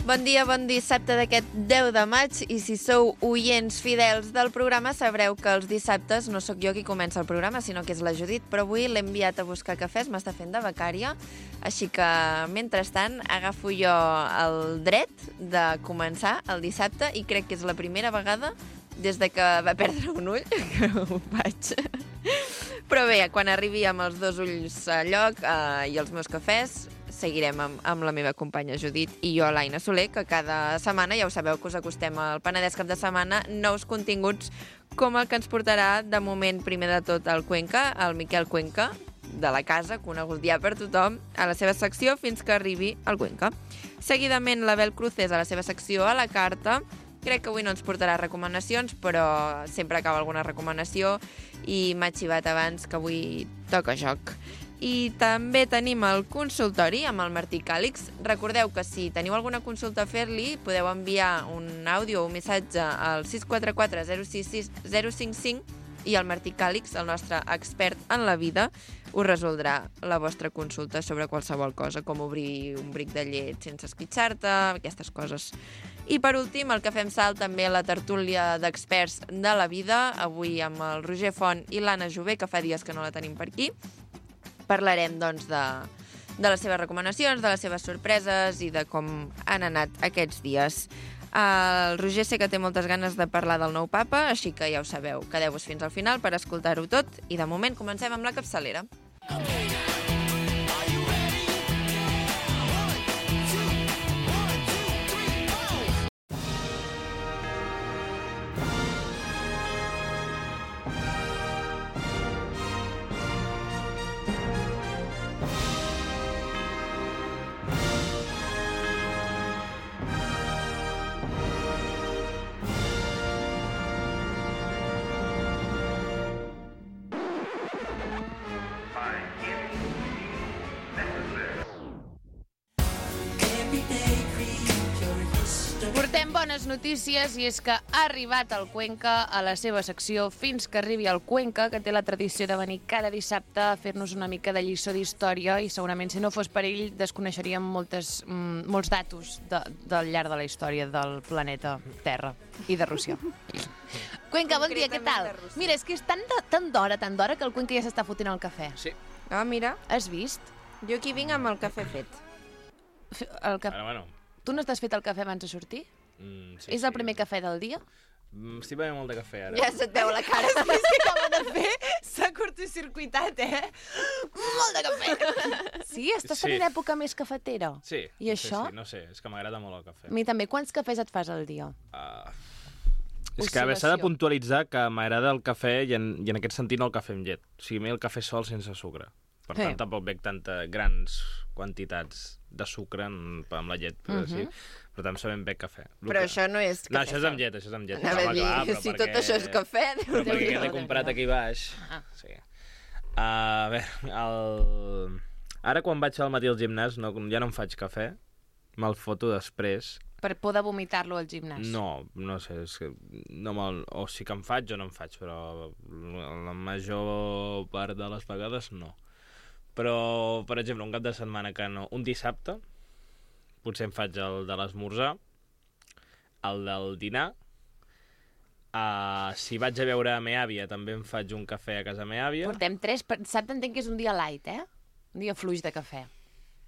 Bon dia, bon dissabte d'aquest 10 de maig i si sou oients fidels del programa sabreu que els dissabtes no sóc jo qui comença el programa, sinó que és la Judit, però avui l'he enviat a buscar cafès, m'està fent de becària, així que mentrestant agafo jo el dret de començar el dissabte i crec que és la primera vegada des de que va perdre un ull que ho faig. Però bé, quan arribi amb els dos ulls a lloc i els meus cafès, seguirem amb la meva companya Judit i jo, l'Aina Soler, que cada setmana, ja ho sabeu que us acostem al Penedès cap de setmana, nous continguts com el que ens portarà de moment primer de tot el Cuenca, el Miquel Cuenca, de la casa, conegut ja per tothom, a la seva secció fins que arribi al Cuenca. Seguidament l'Abel Cruces a la seva secció a la carta. Crec que avui no ens portarà recomanacions, però sempre acaba alguna recomanació i m'ha xivat abans que avui toca joc. I també tenim el consultori amb el Martí Càlix. Recordeu que si teniu alguna consulta a fer-li, podeu enviar un àudio o un missatge al 644 066 055 i el Martí Càlix, el nostre expert en la vida, us resoldrà la vostra consulta sobre qualsevol cosa, com obrir un bric de llet sense esquitxar-te, aquestes coses. I per últim, el que fem salt també a la tertúlia d'experts de la vida, avui amb el Roger Font i l'Anna Jové, que fa dies que no la tenim per aquí. Parlarem, doncs, de les seves recomanacions, de les seves sorpreses i de com han anat aquests dies. El Roger sé que té moltes ganes de parlar del nou papa, així que ja ho sabeu, quedeu-vos fins al final per escoltar-ho tot i de moment comencem amb la capçalera. Portem bones notícies i és que ha arribat el Cuenca a la seva secció Fins que arribi el Cuenca, que té la tradició de venir cada dissabte a fer-nos una mica de lliçó d'història i segurament si no fos per ell desconeixeríem molts datos del llarg de la història del planeta Terra i de Rússia. Cuenca, bon dia, què tal? Mira, és que és tan d'hora que el Cuenca ja s'està fotent el cafè. Sí. Ah, mira, Has vist? jo aquí vinc amb el cafè fet. Bueno. Tu no t'has fet el cafè abans de sortir? Sí, És el primer cafè del dia? Estic bevent molt de cafè, ara. Ja se't veu la cara. És que acaba de fer, s'ha curtcircuitat, Molt de cafè. Sí, estàs tenint època més cafetera. Sí. I això? Sí, no sé, és que m'agrada molt el cafè. A mi també. Quants cafès et fas al dia? És que s'ha de puntualitzar que m'agrada el cafè i en aquest sentit no el cafè amb llet. O sigui, a mi el cafè sol sense sucre. Per tant, tampoc bec grans quantitats de sucre amb la llet, però sí. Per tant, sabem bec cafè. Però això no és cafè. No, això és amb llet, això és amb llet. Anava a dir, si tot això és cafè... Però perquè l'he comprat aquí baix. Sí. A veure, ara quan vaig al matí al gimnàs ja no em faig cafè, me'l foto després. Per poder vomitar-lo al gimnàs. No sé, és que o sí que em faig o no em faig, però la major part de les vegades no. Però, per exemple, un cap de setmana que no... Un dissabte, potser em faig el de l'esmorzar, el del dinar. Si vaig a veure a meva àvia, també em faig un cafè a casa meva àvia. Portem 3, dissabte entenc que és un dia light, Un dia fluix de cafè.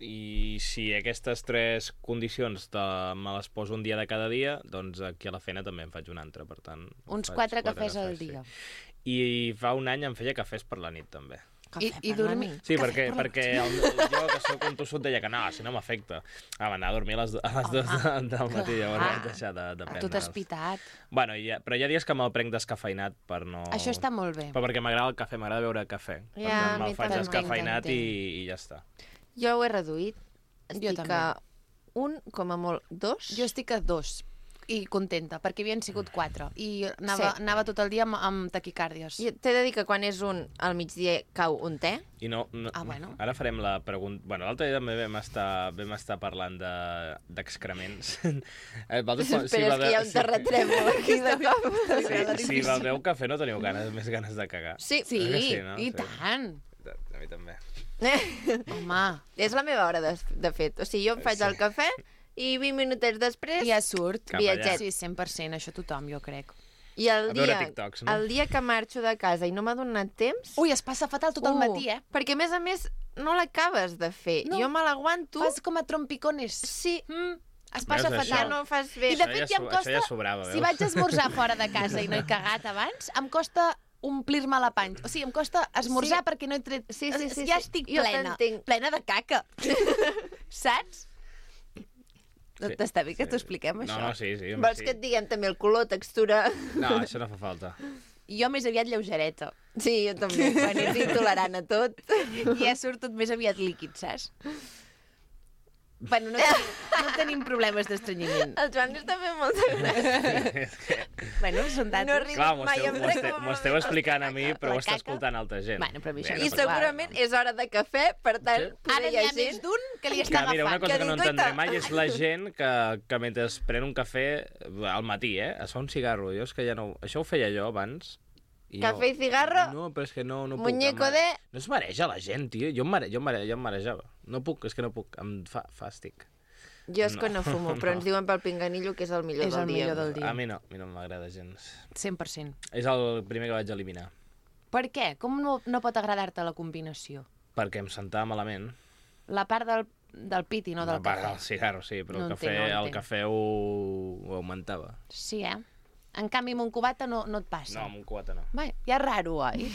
I si aquestes 3 condicions me les poso un dia de cada dia, doncs aquí a la feina també em faig un altre, per tant... Uns 4 cafès al dia. Sí. I fa un any em feia cafès per la nit, també. I dormir. Sí, perquè jo, que soc un tossut, deia que no, si no m'afecta. Anar a dormir a les 2 del matí, llavors vaig deixar de prendre. Tu t'has pitat. Bueno, però hi ha dies que me'l prenc descafeinat per no... Això està molt bé. Però perquè m'agrada el cafè, m'agrada beure cafè. Per tant, me'l faig descafeinat i ja està. Jo ho he reduït. Jo Estic també. a 1, com a molt 2. Jo estic a 2 i contenta, perquè havien sigut 4 i anava tot el dia amb taquicàrdies. T'he de dir que quan és 1 al migdia cau un te. I no, bueno. Ara farem la pregunta... Bueno, l'altre dia també vam estar parlant d'excrements. Espera, és que hi ha un terratrèmol aquí de cop. Si beveu cafè no teniu més ganes de cagar. Sí, no? I tant. A mi també. Home. És la meva hora, de fet. O sigui, jo em faig el cafè i 20 minutets després Ja surt. Cap allà. viatget. Sí, 100%, això tothom, jo crec. I el A veure dia, TikToks, no? el dia que marxo de casa i no m'ha donat temps... Ui, es passa fatal tot el matí, eh? Perquè, a més, no l'acabes de fer. No. Jo me l'aguanto... Fas com a trompicones. Sí, Es passa Veus, ja fatal. no ho fas bé. I de Això fet ja ja em so- costa... això ja sobrava, si veus? vaig esmorzar fora de casa i no he cagat abans, em costa omplir-me la panxa. O sigui, em costa esmorzar Sí. perquè no he tret... Sí, Ja estic Jo plena. t'entenc. Plena de caca. Saps? No Sí, t'està bé que t'ho expliquem, això? No, sí. Vols que et diguem també el color, textura... No, això no fa falta. Jo més aviat lleugereta. Sí, jo també. Quan ets intolerant a tot. I ja surt tot més aviat líquid, saps? Bueno, no tenim problemes d'estrenyiment. El Joan està fent molta gràcia. Bueno, són datos. No riu Clar, m'ho mai, esteu, em m'ho esteu, rec- m'ho esteu explicant a mi, però ho La està caca. escoltant altra gent. Bueno, però a mi això Bé, no I no passa segurament és hora de cafè, per tant, Sí. poder Ara hi n'hi ha ha més gent... d'un que li Que, està mira, una agafant. cosa que no dic, entendré "Oita". mai és la gent que mentre es pren un cafè al matí, es fa un cigarro. Jo és que ja no... Això ho feia jo abans. I Cafè i cigarro? No, però és que no puc. Muñeco em- de... No es mareja la gent, tio. Jo em marejava. No puc, és que no puc. Em fa fàstic. Jo és que no fumo, però ens diuen pel pinganillo que és el millor És del el dia. millor del dia. A mi no m'agrada gens. 100%. És el primer que vaig eliminar. Per què? Com no pot agradar-te la combinació? Perquè em sentava malament. La part del piti, no del A part cafè. del cigarro, sí, però No el cafè, entenc, no el entenc. cafè ho augmentava. Sí, eh? En canvi, amb un cubata no et passa. No, amb un cubata no. Vai, ja és raro, oi?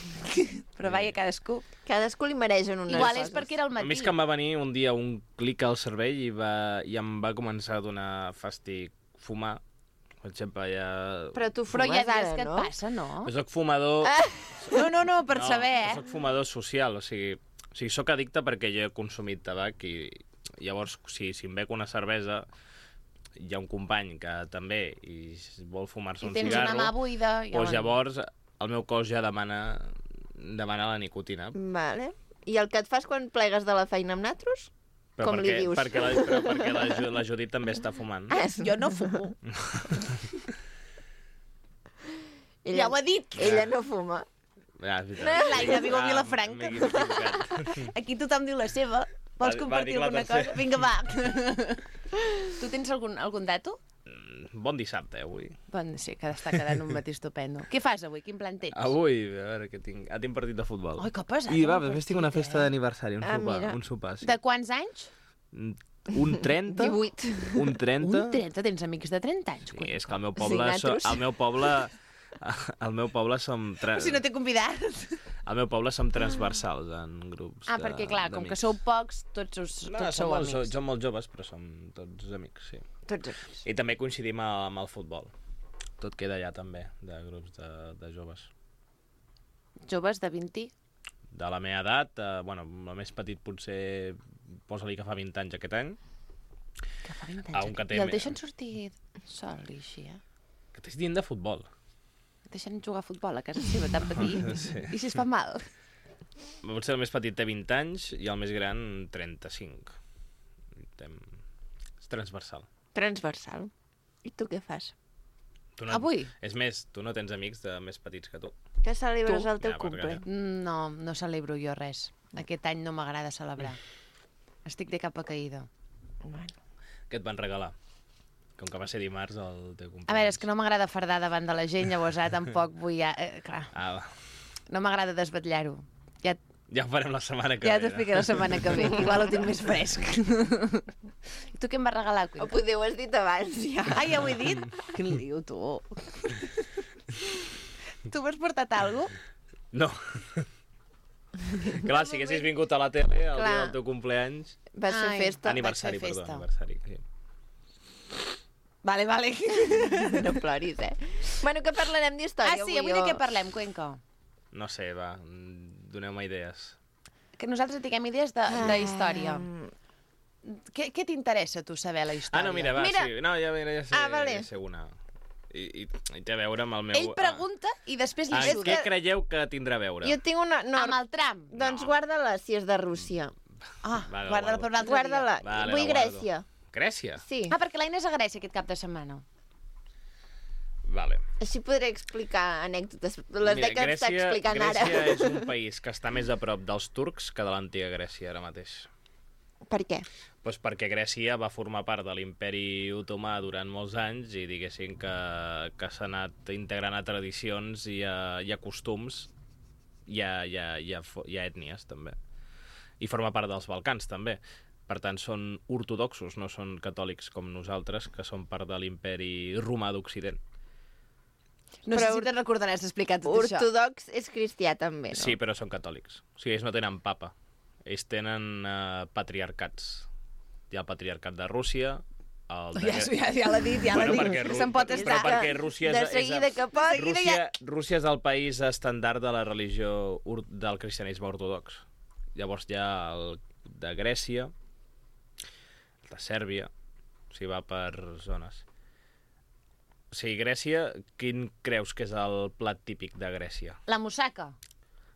Però vaja, cadascú. Cadascú li mereixen unes Igual coses. és perquè era al A matí. mi és que em va venir un dia un clic al cervell i em va començar a donar fàstic fumar. Per exemple, ja... Però tu Però fumes hi ha dies ara, que no? et passa, no? Jo soc fumador... No, per saber, Jo soc fumador social, o sigui, soc addicte perquè jo he consumit tabac i llavors, si em bec una cervesa, hi ha un company que també i vol fumar-se I un tens cigarro, una mà buida... doncs llavors el meu cos ja demana la nicotina. Vale. I el que et fas quan plegues de la feina amb natros? Però Com li dius? perquè la Judit també està fumant. Jo no fumo. Ella, Ja ho ha dit. Ella no fuma. Ah, és veritat. L'Aina viu a Vilafranca. M'he equivocat. Aquí tothom diu la seva. Vols Va, compartir dic la alguna tercera. cosa? Vinga, va. Tu tens algun dato? Bon dissabte, avui. Bon, sí, que està quedant un matí estupendo. Què fas avui? Quin plan tens? Avui, a veure què tinc. Tinc partit de futbol. Ai, que pesat. I va, el després tinc una partit, festa d'aniversari, Ah, mira. un sopar, sí. De quants anys? Un 30? 18. Un 30? Un 30, tens amics de 30 anys. Sí, és que al meu Sí, poble, natros. al meu poble som... Si no t'he convidat. Al meu poble som transversals en grups Perquè clar, com que d'amics. sou pocs, tots sou amics. Som molt joves, però som tots amics, sí. Tots amics. I també coincidim amb el futbol. Tot queda allà també, de grups de joves. Joves de 20? De la meva edat, bueno, el més petit potser posa-li que fa 20 anys aquest any. Que fa 20 Ah, un anys. que té I el me- deixen sortir sol i així, eh? Que t'estic dient de futbol. Deixen jugar a futbol a casa seva tan petit. Sí. I si es fa mal? Potser el més petit té 20 anys i el més gran 35. És transversal. Transversal. I tu què fas? Tu Avui? És més, tu no tens amics de més petits que tu. Que celebres Tu? el teu Ja, cumple? No, no celebro jo res. Aquest any no m'agrada celebrar. Estic de capa caïda. Bueno. Què et van regalar? Com que va ser dimarts el teu cumpleaños. A veure, és que no m'agrada fardar davant de la gent, llavors tampoc vull... clar, Ah, va. no m'agrada desvetllar-ho. Ja ho farem la setmana que Ja ve. t'explicaré la setmana que ve, que igual ho tinc més fresc. I tu què em vas regalar, O Cuenca? poder ho has dit abans, ja. Ah, ja ho he dit? Quin liu, tu. Tu m'has portat alguna cosa? No. Clar, si haguessis vingut a la tele el Clar. dia del teu cumpleaños... Vas fer Ai. festa. Aniversari, fer perdó, festa. aniversari. Sí. Vale. No ploris, eh? Bueno, que parlarem d'història Ah, sí, avui de què parlem, Cuenca? No sé, va, doneu-me idees. Que nosaltres tinguem idees de història. Què t'interessa, tu, saber la història? Ah, no, mira, va, Mira. sí. No, ja sé, vale. ja sé una. I té a veure amb el meu... Ell pregunta i després li Ah, surt. què creieu que tindrà a veure? Jo tinc una... No, Amb el tram. doncs No. guarda-la, si és de Rússia. Ah, Vale, guarda-la per un altre Guarda-la. Vale, Vull la guardo. Grècia. Grècia? Sí. dia. Ah, perquè l'Aina és a Grècia aquest cap de setmana. Vale. Així podré explicar anècdotes. Les Mira, que està explicant Grècia ara. és un país que està més a prop dels turcs que de l'antiga Grècia ara mateix. Per què? Pues perquè Grècia va formar part de l'imperi otomà durant molts anys i diguéssim que s'ha anat integrant a tradicions i a costums i a ètnies també. I forma part dels Balcans també. Per tant, són ortodoxos, no són catòlics com nosaltres, que són part de l'imperi romà d'Occident. No sé si te'n recordaràs d'explicar tot això. Ortodox és cristià també, no? Sí, però són catòlics. O sigui, ells no tenen papa. Ells tenen patriarcats. Hi ha el patriarcat de Rússia, Ja l'ha dit, que se'n pot estar. Però perquè Rússia de seguida que pot. Rússia és el país estàndard de la religió del cristianisme ortodox. Llavors hi ha el de Grècia, el de Sèrbia, o sigui, va per zones. O sigui, Grècia, quin creus que és el plat típic de Grècia? La moussaka.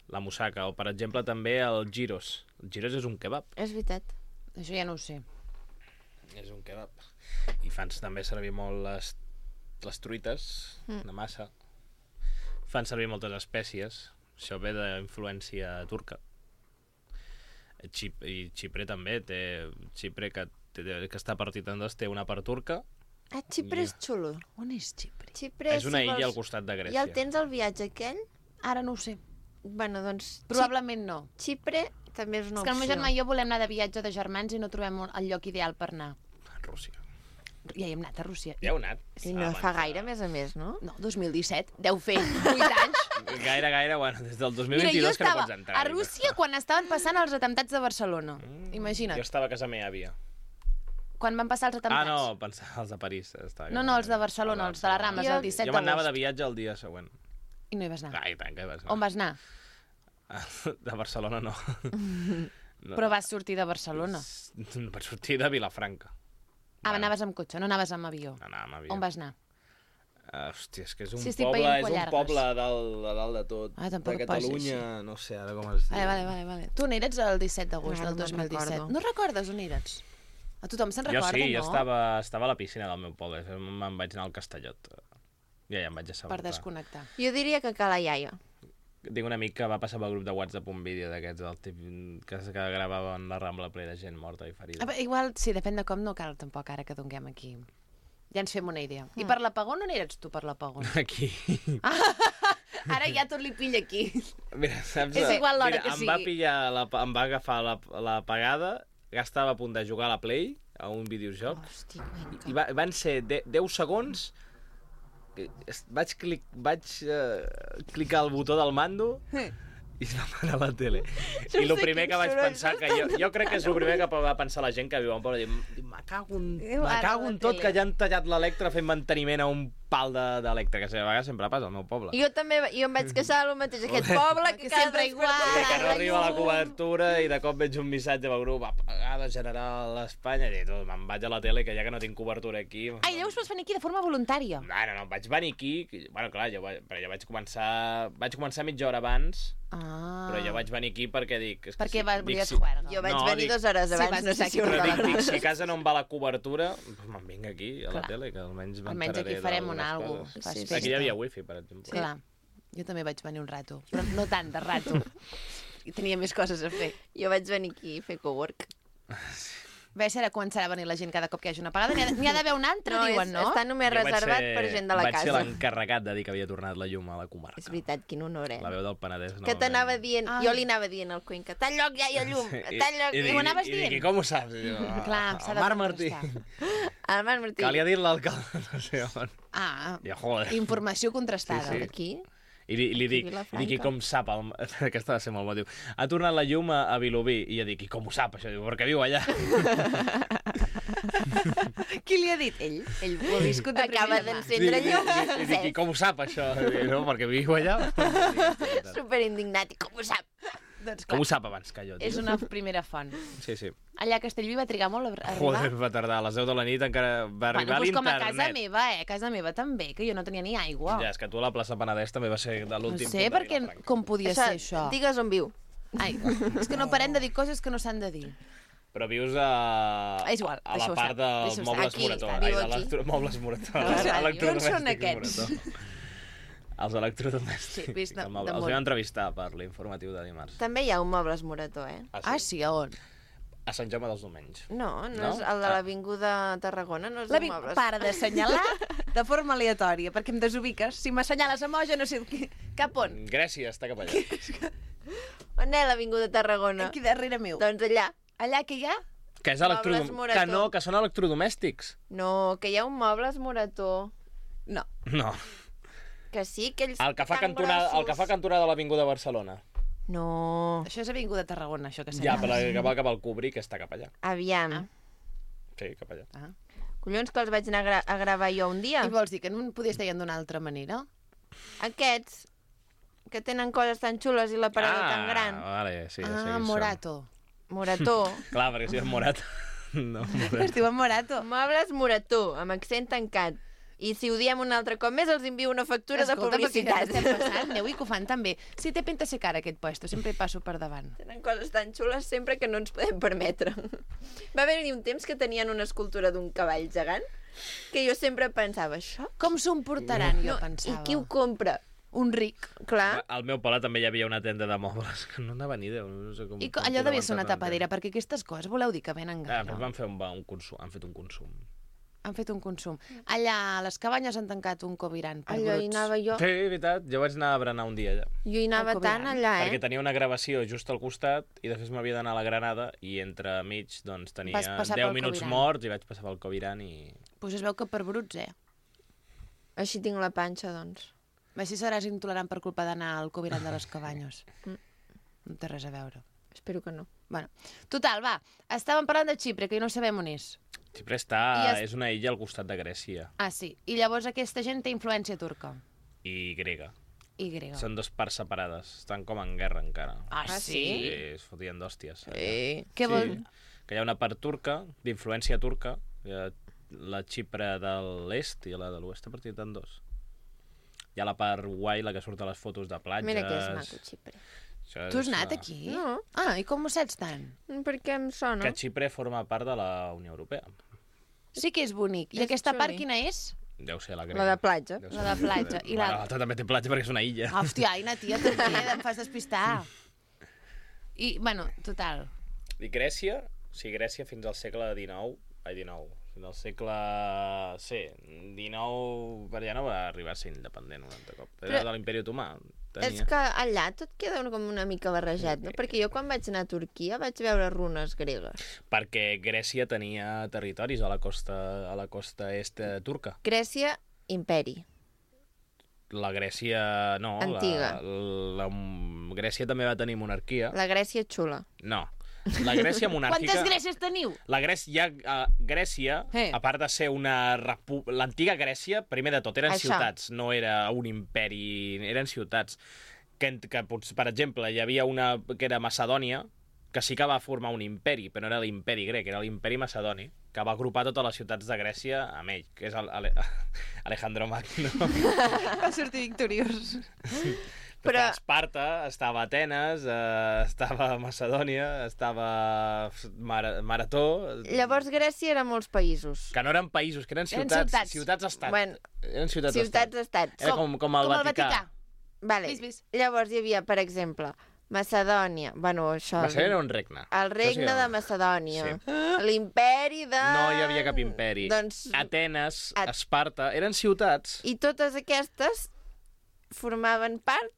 La moussaka, o per exemple també el gyros. El gyros és un kebab. És veritat. Això ja no ho sé. És un kebab. I fan també servir molt les truites de massa. Fan servir moltes espècies. Això ve d'influència turca. I Xipre també té... Xipre, que està partit en dos, té una part turca. Ah, Xipre és xulo. On és Xipre? Xipre, és una illa al costat de Grècia. Ja el tens al viatge aquell? Ara no ho sé. Bueno, doncs... Probablement no. Xipre també és una opció. És que el meu germà i jo volem anar de viatge de germans i no trobem el lloc ideal per anar. Rússia. Ja hi hem anat a Rússia. Ja heu anat? I no fa gaire, a més, no? No, 2017. Deu fer 8 anys. Gaire, bueno, des del 2022 Mira, jo que no pots entrar. a Rússia quan estaven passant els atemptats de Barcelona. Imagina't. Jo estava a casa meva àvia. Quan van passar els atemptats. Ah, no, pensava els de París. No, els de Barcelona, els de la Rambla, el 17 d'agost. Jo m'anava de viatge el dia següent. I no hi vas anar? Ah, i tant que hi vas anar. On vas anar? De Barcelona no. Però vas sortir de Barcelona. Vaig sortir de Vilafranca. Ah, anaves amb cotxe, no anaves amb avió. Anava amb avió. On vas anar? Hòstia, és que és un Sí, estic poble, veient és un Collargues. poble de dalt de tot. Ah, tampoc de et posis Catalunya, així. no sé ara com es diu. Vale. Tu on eres el 17 d'agost Ara del no me'n 2017? recordo. No recordes on eres? A tothom se'n recorda, Jo sí, no? jo estava a la piscina del meu poble. Me'n vaig anar al Castellot. Ja em vaig assabentar. Per desconnectar. Jo diria que Cala Iaia. Tinc un amic que va passar pel grup de WhatsApp un vídeo d'aquests del tipus que gravaven la Rambla ple de gent morta i ferida. Igual, sí, depèn de com, no cal tampoc ara que donguem aquí. Ja ens fem una idea. I per l'apagón on eres tu per l'apagón? Aquí. Ara ja tot li pilla aquí. Mira, saps? És igual l'hora que Em va sigui. em va agafar la pagada, que estava a punt de jugar a la Play, a un videojoc, Hosti, Cuenca. i van ser 10 segons. Vaig clicar el botó del mando i es va apagar la tele. I el primer que vaig pensar, que jo crec que és el primer que va pensar la gent que viu en poble, me cago en tot, que ja han tallat l'Electra fent manteniment a un pal d'Electra, que a vegades sempre passa al meu poble. Jo també, jo em vaig queixar del mateix, aquest poble que cada sempre igual. Que no arriba la cobertura i de cop veig un missatge pel grup, apagada general a Espanya, i me'n vaig a la tele, que ja que no tinc cobertura aquí... Ai, llavors vas venir aquí de forma voluntària. No, vaig venir aquí, bueno, clar, jo vaig començar mitja hora abans, però jo vaig venir aquí perquè dic... Perquè volies juerga. Jo vaig venir 2 hores abans, no sé si ho Però recordes. dic, si a casa no em va la cobertura, doncs me'n vinc aquí, a la tele, que almenys Almenys aquí farem algo. Aquí hi havia wifi, per exemple. Clar, jo també vaig venir un rato, però no tant de rato. I tenia més coses a fer. Jo vaig venir aquí a fer cowork. Bé, ara començarà a venir la gent cada cop que hi hagi una apagada. N'hi ha d'haver una altra, diuen, no? Està només reservat per gent de la casa. Vaig ser l'encarregat de dir que havia tornat la llum a la comarca. És veritat, quin honor, La veu del Penedès. Que t'anava dient, jo li anava dient al Cuenca, tal lloc ja hi ha llum, tal lloc... I ho anaves I dient? dic, com ho saps? I diu, Clar, s'ha de el Marc Martí. contrastar. El Marc Martí. Calia dir l'alcalde, no sé on. Ah, I, joder. informació contrastada. Sí, sí. Aquí? I li dic, i com sap, aquesta va ser molt motiu, ha tornat la llum a Vilobí, i jo dic, i com ho sap això? Diu, perquè viu allà. Qui li ha dit? Ell ho ha viscut de Acaba primera mà. d'encendre llum. I dic, i com ho sap això? Diu, no, perquè viu allà. Superindignat, i com ho sap? Doncs Com clar, ho sap abans que jo? és Tio? una primera font. Sí, sí. Allà a Castellví va trigar molt a arribar. Joder, va tardar. A les 10 de la nit encara va arribar doncs com a l'internet. casa meva, a casa meva també, que jo no tenia ni aigua. Ja, és que tu a la plaça Penedès també va ser de No l'últim sé punt de perquè Vilafranca. com podia ser això. Digues on viu. Ai, és que no parem de dir coses que no s'han de dir. Però vius a És igual, la deixa-ho part estar, dels deixa-ho mobles estar. Morató. Aquí, viu Ai, aquí. mobles Morató. A la ràdio. On són Electrodomèstics aquests? Morató. Els electrodomèstics. Sí, vist de Els molt. vam entrevistar per l'informatiu de dimarts. També hi ha un Mobles Morató, Ah, sí, a on? A Sant Jaume dels Domenys. No No? és el de l'Avinguda Tarragona, no és de mobles. Para d'assenyalar de forma aleatòria, perquè em desubiques. Si m'assenyales a Moja, no sé cap on. Grècia està cap allà. On és l'Avinguda Tarragona? Aquí darrere meu. Doncs allà. Allà que hi ha? Que és Mobles Morató. Que no, que són electrodomèstics. No, que hi ha un Mobles Morató. No. No. Que sí, que ells El que fa tan cantonada, grossos. el que fa cantonada de l'Avinguda de Barcelona. No. Això és Avinguda Tarragona, això que Ja, assenyales. però que va cap al Cubri, que està cap allà. Aviam. Sí, cap allà. Ah. Collons, que els vaig anar a gravar jo un dia. I vols dir que no em podies dir d'una altra manera? Aquests, que tenen coses tan xules i l'aparador tan gran. Vale, sí, ja sé qui són. Morato. Morató. Clar, perquè si és morat. No, Es diuen Morato. Mobles Morató, amb accent tancat. I si ho diem un altre cop més, els envio una factura de publicitat. Escolta, estem passant, aneu i que ho fan també. Sí, té pinta ser cara aquest puesto, sempre hi passo per davant. Tenen coses tan xules sempre que no ens podem permetre. Va haver-hi un temps que tenien una escultura d'un cavall gegant que jo sempre pensava, això? Com s'ho emportaran, jo I pensava. qui ho compra? Un ric. Clar. Al meu poble també hi havia una tenda de mobles que no anava ni Déu. No sé com, I com allò devia ser una podeu entrar tapadera, perquè aquestes coses voleu dir que venen Ah, gaire. però van fer un consum, han fet un consum. Han fet un consum. Allà a les cabanyes han tancat un covirant per Allò hi bruts. anava jo. Sí, veritat, jo vaig anar a berenar un dia allà. Jo hi anava El tant Coviran. allà, Perquè eh? tenia una gravació just al costat i després m'havia d'anar a la Granada i entre mig doncs, tenia Vas passar 10 pel minuts Coviran. morts i vaig passar pel Coviran i... Pues es veu que per bruts, Així tinc la panxa, doncs. Així seràs intolerant per culpa d'anar al covirant de les cabanyes. No té res a veure. Espero que no. Bueno, total, va. Estàvem parlant de Xipre, que no sabem on és. Xipre està... I és una illa al costat de Grècia Ah, sí. I llavors aquesta gent té influència turca. i grega. I grega. Són dues parts separades. Estan com en guerra encara. Ah, Ah, sí? Sí, es fotien d'hòsties. Què vol... Que hi ha una part turca, d'influència turca, hi ha la Xipre de l'est i la de l'oest, a partir de dos. Hi ha la part guai, la que surt a les fotos de platges... Mira que és maco, Xipre. Això Tu has és, anat aquí? No. Ah, i com ho saps tant? Perquè em sona. Que Xipre forma part de la Unió Europea. Sí que és bonic. I És aquesta part xuli. quina és? Deu ser la La grega. de platja. Deu La ser de platja. I Bueno, la... l'altra també té platja perquè és una illa. Hòstia, Aina, tia, també em fas despistar. I, bueno, total. I Grècia, sí, Grècia fins al segle XIX, fins al segle... Sí, XIX per allà no va arribar a ser independent un altre cop. Era de l'Imperi Otomà. És que allà tot queda com una mica barrejat, no? Perquè jo quan vaig anar a Turquia vaig veure runes gregues. Perquè Grècia tenia territoris a la costa est turca. Grècia, imperi. La Grècia, no. Antiga. La Grècia també va tenir monarquia. La Grècia xula. No. La Grècia monàrquica... Quantes Grècies teniu? La Grècia, Grècia, a part de ser una l'antiga Grècia, primer de tot, eren Això. ciutats, no era un imperi, eren ciutats. Que, per exemple, hi havia una que era Macedònia, que sí que va formar un imperi, però no era l'imperi grec, era l'imperi macedoni, que va agrupar totes les ciutats de Grècia amb ell, que és Alejandro Magno. Va sortir victoriós. Però- Estava Esparta, estava Atenes, estava Macedònia, estava Marató... Llavors Grècia era molts països. Que no eren països, que eren Eren ciutats. ciutats. Ciutats-estat. Bueno, Eren ciutats-estat. ciutats-estats. Era com el Vaticà. Vale. Vis. Llavors hi havia, per exemple, Macedònia. Bueno, això... Macedònia era un regne. El regne de Macedònia. L'imperi de... No hi havia cap imperi. Doncs... Atenes, Esparta, eren ciutats. I totes aquestes formaven part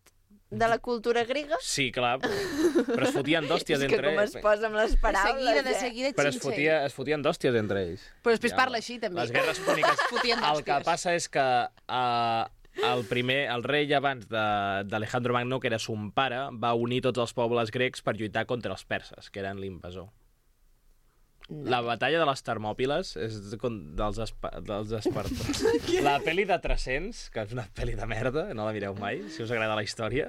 de la cultura grega? Sí, clar, però es fotien d'hòsties És que entre com es posa amb les paraules, De seguida, Però es xinxell. fotien d'hòsties entre ells. Però després parla així, també. Les guerres púniques. Fotien El que d'hòsties. passa és que el rei abans d'Alejandro Magno, que era son pare, va unir tots els pobles grecs per lluitar contra els perses, que eren l'invasor. La batalla de les Termòpiles és dels espartans. La pel·li de 300, que és una pel·li de merda, no la mireu mai, si us agrada la història,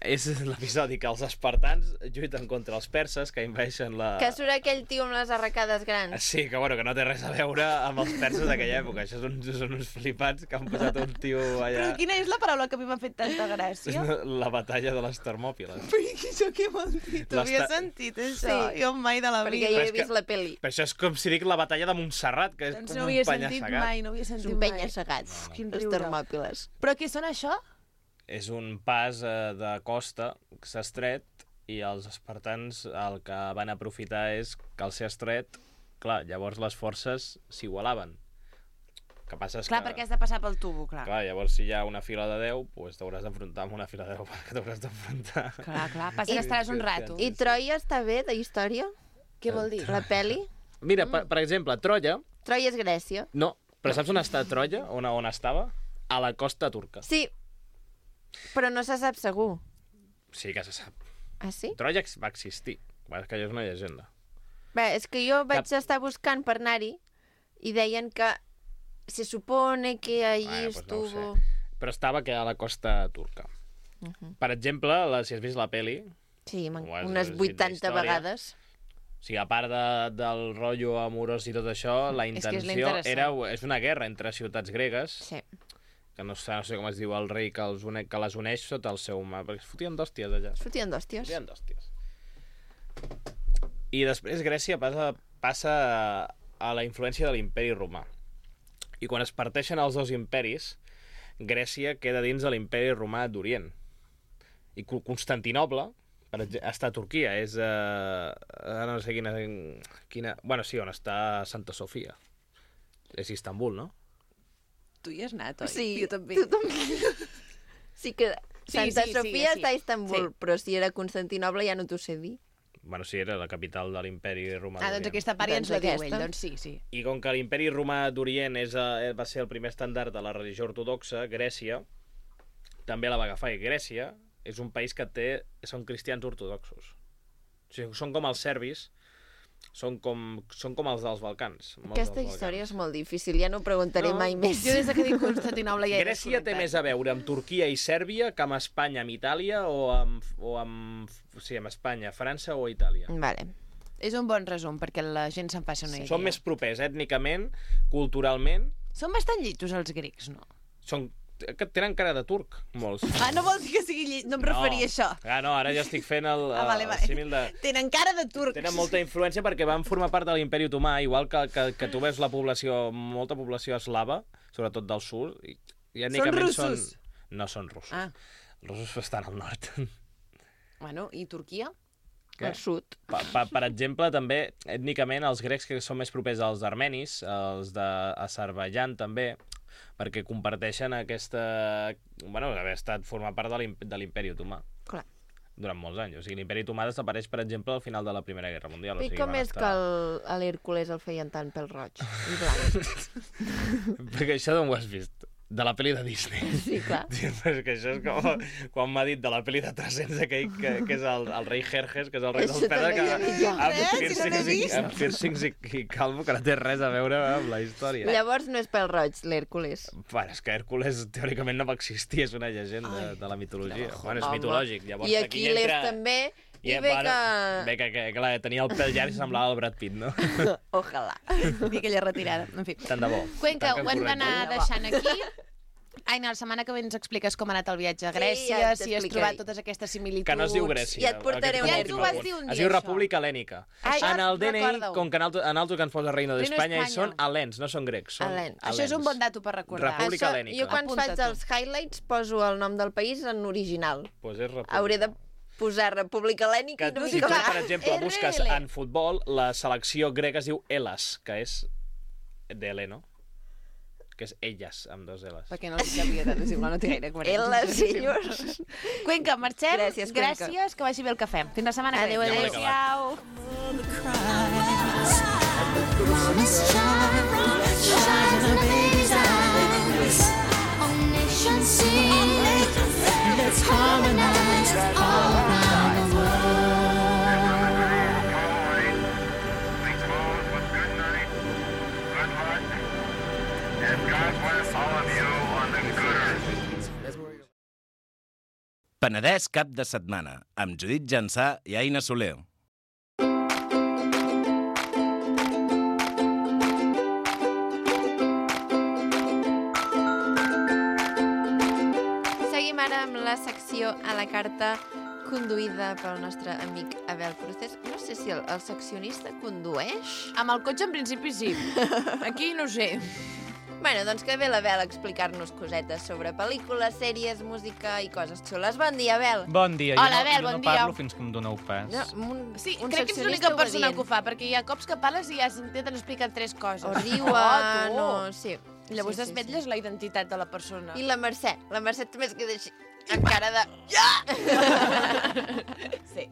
és l'episodi que els espartans lluiten contra els perses que invadeixen la... Que surt aquell tio amb les arracades grans. Sí, que bueno, que no té res a veure amb els perses d'aquella època. Això són uns flipats que han posat un tio allà... Però quina és la paraula que a mi m'ha fet tanta gràcia? La batalla de les Termòpiles. Però això què vol dir? Tu havies sentit això? Sí. Jo mai de la Perquè vida. jo Però he és que- vist la pel·li. Però això és com si dic la batalla de Montserrat, que és Doncs com no un havia sentit penya-segat. mai, no havia És sentit un mai. penya-segat. Quin Les riure. Termòpiles. Però què són això? És un pas de costa que s'ha estret i els espartans el que van aprofitar és que al ser estret, clar, llavors les forces s'igualaven. El que passa és Clar, que... perquè has de passar pel tubo, clar. Clar, llavors si hi ha una fila de 10, doncs t'hauràs d'enfrontar amb una fila de 10 perquè t'hauràs d'enfrontar. Clar, passa que estaràs un rato. I Troia està bé, de història? Què vol dir? La peli? Mira, per exemple, Troia... Troia és Grècia. No, però saps on està Troia? On estava? A la costa turca. Sí, però no se sap segur. Sí que se sap. Ah, sí? Troia va existir. És que allò és una llegenda. Bé, és que jo vaig estar buscant per anar-hi i deien que se supone que allí estuvo... No ho sé. Però estava que a la costa turca. Per exemple, si has vist la peli... Sí, és unes 80 vegades. O sigui, a part del rotllo amorós i tot això, la intenció és una guerra entre ciutats gregues, sí. Que no sé com es diu el rei que les uneix sota el seu mà, perquè es fotien d'hòsties allà. Es fotien d'hòsties. I després Grècia passa a la influència de l'imperi romà. I quan es parteixen els dos imperis, Grècia queda dins de l'imperi romà d'Orient. I Constantinoble està a Turquia, és no sé quina... Bueno, sí, on està Santa Sofia. És Istanbul, no? Tu hi has anat, oi? Sí, jo també. Tu també. Sí que Santa Sofia està a Istanbul, però si era Constantinoble ja no t'ho sé dir. Bueno, sí, era la capital de l'imperi romà d'Orient. Doncs aquesta part ja ens la diu ell, doncs sí. I com que l'imperi romà d'Orient va ser el primer estàndard de la religió ortodoxa, Grècia també la va agafar. I Grècia és un país que són cristians ortodoxos. O sigui, són com els serbis, són com els dels Balcans. Aquesta història és molt difícil, ja no preguntaré mai més. Jo des que dic Constantinoble ja he Grècia té més a veure amb Turquia i Sèrbia que amb Espanya, amb Itàlia o amb Espanya, França o Itàlia. Vale. És un bon resum, perquè la gent se'n faci una idea. Són més propers ètnicament, culturalment. Són bastant llitos els grecs, no? Que tenen cara de turc, molts. Ah, no vol dir que sigui llit, no em referia a això. No, ara ja estic fent el símil de... Tenen cara de turcs. Tenen molta influència perquè van formar part de l'imperi otomà, igual que tu veus molta població eslava, sobretot del sud. Són russos? No són russos. Els russos estan al nord. Bueno, i Turquia? Al sud. Per exemple, també, ètnicament, els grecs que són més propers als armenis, els d'Azerbaidjan també, perquè comparteixen haver estat formar part de l'imperi otomà. Clar. Durant molts anys. O sigui, l'imperi otomà desapareix, per exemple, al final de la Primera Guerra Mundial. I com és que a l'Hèrcules el feien tant pèl roig i blanc? Perquè això d'on ho has vist? De la pel·li de Disney. Sí, clar. És que això és com quan m'ha dit de la pel·li de 300 aquell que és el rei Jerjes, que és el rei dels Perses, amb piercings i calvo, que no té res a veure amb la història. Llavors no és pèl roig, l'Hèrcules. Bueno, és que Hèrcules teòricament no va existir, és una llegenda de la mitologia. És mitològic. I Aquiles també... I bé que clar, tenia el pèl llarg i semblava el Brad Pitt, no? Ojalà. I aquella retirada, en fi. Tant de bo. Cuenca, ho hem d'anar deixant aquí. Aina, la setmana que ve ens expliques com ha anat el viatge a Grècia, si has trobat totes aquestes similituds... Que no es diu Grècia. Ja et portaré Ja ens ho vas dir un dia, es diu República Hel·lènica. En el DNI, com que en alto que ens posa Reino d'Espanya, són hel·lens, no són grecs, són hel·lens. Això és un bon dato per recordar. República Hel·lènica. Jo quan faig els highlights poso el nom del país en original. Pues és República. Hauré de posar República Hel·lènica i no si tu, per exemple, busques en futbol, la selecció grega es diu Hellas, que és d'Heleno, que és elles, amb dos L's. Perquè no li sabia tant, és igual, no té gaire coherència. Elles, senyors. Cuenca, marxem. Gràcies, Cuenca. Gràcies, que vagi bé el cafè. Fins la setmana que ve. Adéu. Let's harmonize all around the world. We close with good night, good luck, and God bless all of you on the good earth. Penedès cap de setmana, amb Judit Jansà i Aina Soler. Ara amb la secció a la carta conduïda pel nostre amic Abel Procés. No sé si el seccionista condueix. Amb el cotxe en principi sí. Aquí no sé. Bueno, doncs que ve la Bel a explicar-nos cosetes sobre pel·lícules, sèries, música i coses xules. Bon dia, Bel. Bon dia. Hola, Bel, jo bon no dia. parlo fins que em doneu pas. Sí, crec que ets l'única persona que ho fa, perquè hi ha cops que parles i ja s'intenten explicar 3 coses. O riuen, tu. o... Sí. Llavors desvetlles la identitat de la persona. I la Mercè també es queda així, amb cara de... Sí.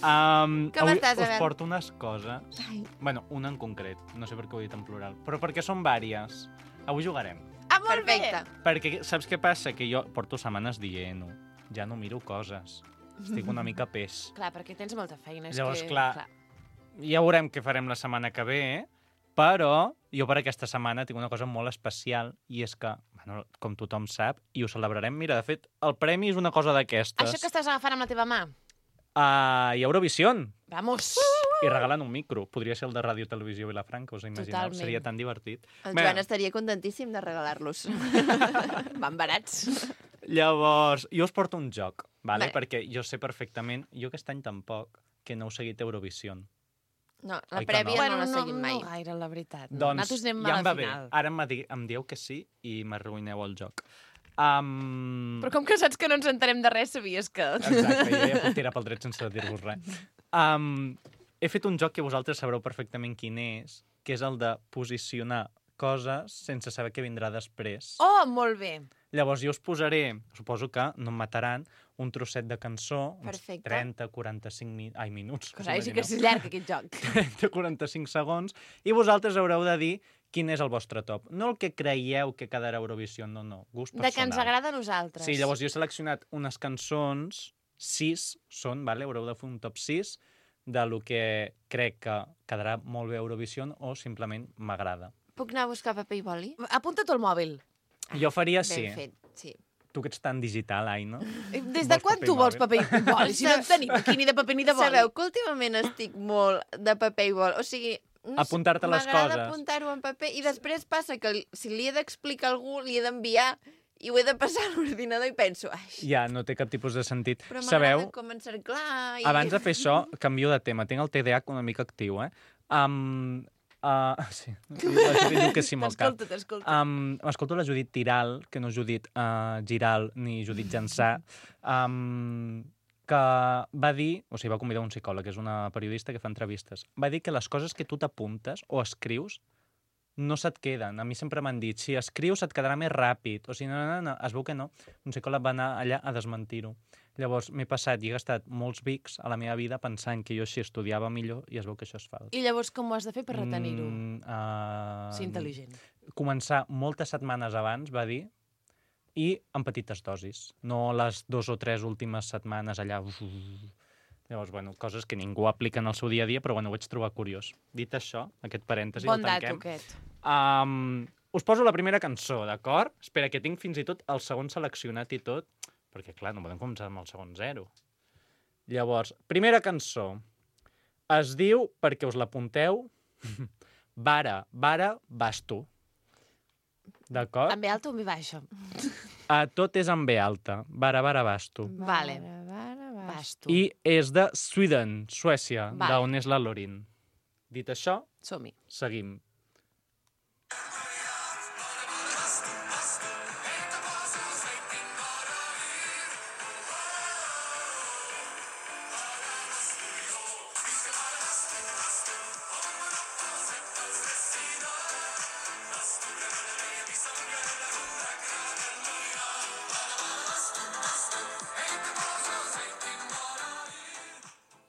Com Avui estàs, us Abel? porto unes coses. Bueno, una en concret. No sé per què ho he dit en plural. Però perquè són vàries. Avui jugarem. Ah, molt Perfecte. bé. Perquè saps què passa? Que jo porto setmanes dient-ho. Ja no miro coses. Estic una mica pes. Clar, perquè tens molta feina. És Llavors, que... clar, ja veurem què farem la setmana que ve, però jo per aquesta setmana tinc una cosa molt especial i és que, bueno, com tothom sap, i ho celebrarem, mira, de fet, el premi és una cosa d'aquestes. Això que estàs agafant amb la teva mà. Hi ha Eurovision. Vamos. I regalen un micro. Podria ser el de Ràdio Televisió Vilafranca, us imagineu? Totalment. Seria tan divertit. El Bé, Joan estaria contentíssim de regalar-los. Van barats. Llavors, jo us porto un joc, vale? Bé. Perquè jo sé perfectament, jo aquest any tampoc, que no heu seguit Eurovision. No, la Oi que prèvia no? no la seguim mai. No gaire, la veritat. No. Doncs Nosaltres anem ja a em la va bé. final. Ara em dieu que sí i m'arruïneu el joc. Però com que saps que no ens entenem de res, sabies que... Exacte, jo ja puc tirar pel dret sense dir-vos res. He fet un joc que vosaltres sabreu perfectament quin és, que és el de posicionar coses sense saber què vindrà després. Oh, molt bé. Llavors jo us posaré, suposo que no em mataran, un trosset de cançó, uns Perfecte. 30-45 minuts. Cosa, sí que és llarg, aquest joc. 30-45 segons, i vosaltres haureu de dir quin és el vostre top. No el que creieu que quedarà a Eurovisió, no, gust personal. De que ens agrada a nosaltres. Sí, llavors jo he seleccionat unes cançons, 6 són, vale? Haureu de fer un top 6 de lo que crec que quedarà molt bé a Eurovisió o simplement m'agrada. Puc anar a buscar paper i boli? Apunta't al mòbil. Jo faria sí. Ben fet, sí. Tu que ets tan digital, ai, no? Des de Vols quan paper tu i vols mòbil? paper i boli? Si no en tenim aquí ni de paper ni de boli. Sabeu que últimament estic molt de paper i boli. O sigui, no sé, Apuntar-te les m'agrada coses. apuntar-ho en paper i després passa que si li he d'explicar a algú, li he d'enviar i ho he de passar a l'ordinador i penso, ai, Ja, no té cap tipus de sentit. però m'agrada Sabeu, com encerclar... I... abans de fer això, canvio de tema. Tinc el TDAH una mica actiu, eh? Sí, la Judit diu que sí amb el cap. T'escolto. M'escolto la Judit Tiral, que no és Judit Giral ni Judit Jansà, que va dir, o sigui, va convidar un psicòleg, que és una periodista que fa entrevistes, va dir que les coses que tu t'apuntes o escrius no se't queden. A mi sempre m'han dit, si escrius et quedarà més ràpid, o sigui, no, es veu que no. Un psicòleg va anar allà a desmentir-ho. Llavors, m'he passat i he gastat molts bics a la meva vida pensant que jo així estudiava millor i es veu que això és fals. I llavors com ho has de fer per retenir-ho? Ser Sí, intel·ligent. Començar moltes setmanes abans, va dir, i en petites dosis. No les 2 o 3 últimes setmanes allà... Llavors, bueno, coses que ningú aplica en el seu dia a dia, però bueno, ho vaig trobar curiós. Dit això, aquest parèntesi Bon el dato, tanquem. aquest. Us poso la primera cançó, d'acord? Espera, que tinc fins i tot el segon seleccionat i tot, perquè, clar, no podem començar amb el segon 0. Llavors, primera cançó. Es diu, perquè us l'apunteu, Vara, vas tu. D'acord? En B alta o en B baixa? Tot és en B alta. Vara, vas tu. Vale. Vas tu. I és de Sweden, Suècia, Vale. d'on és la Lorin. Dit això, Som-hi. seguim.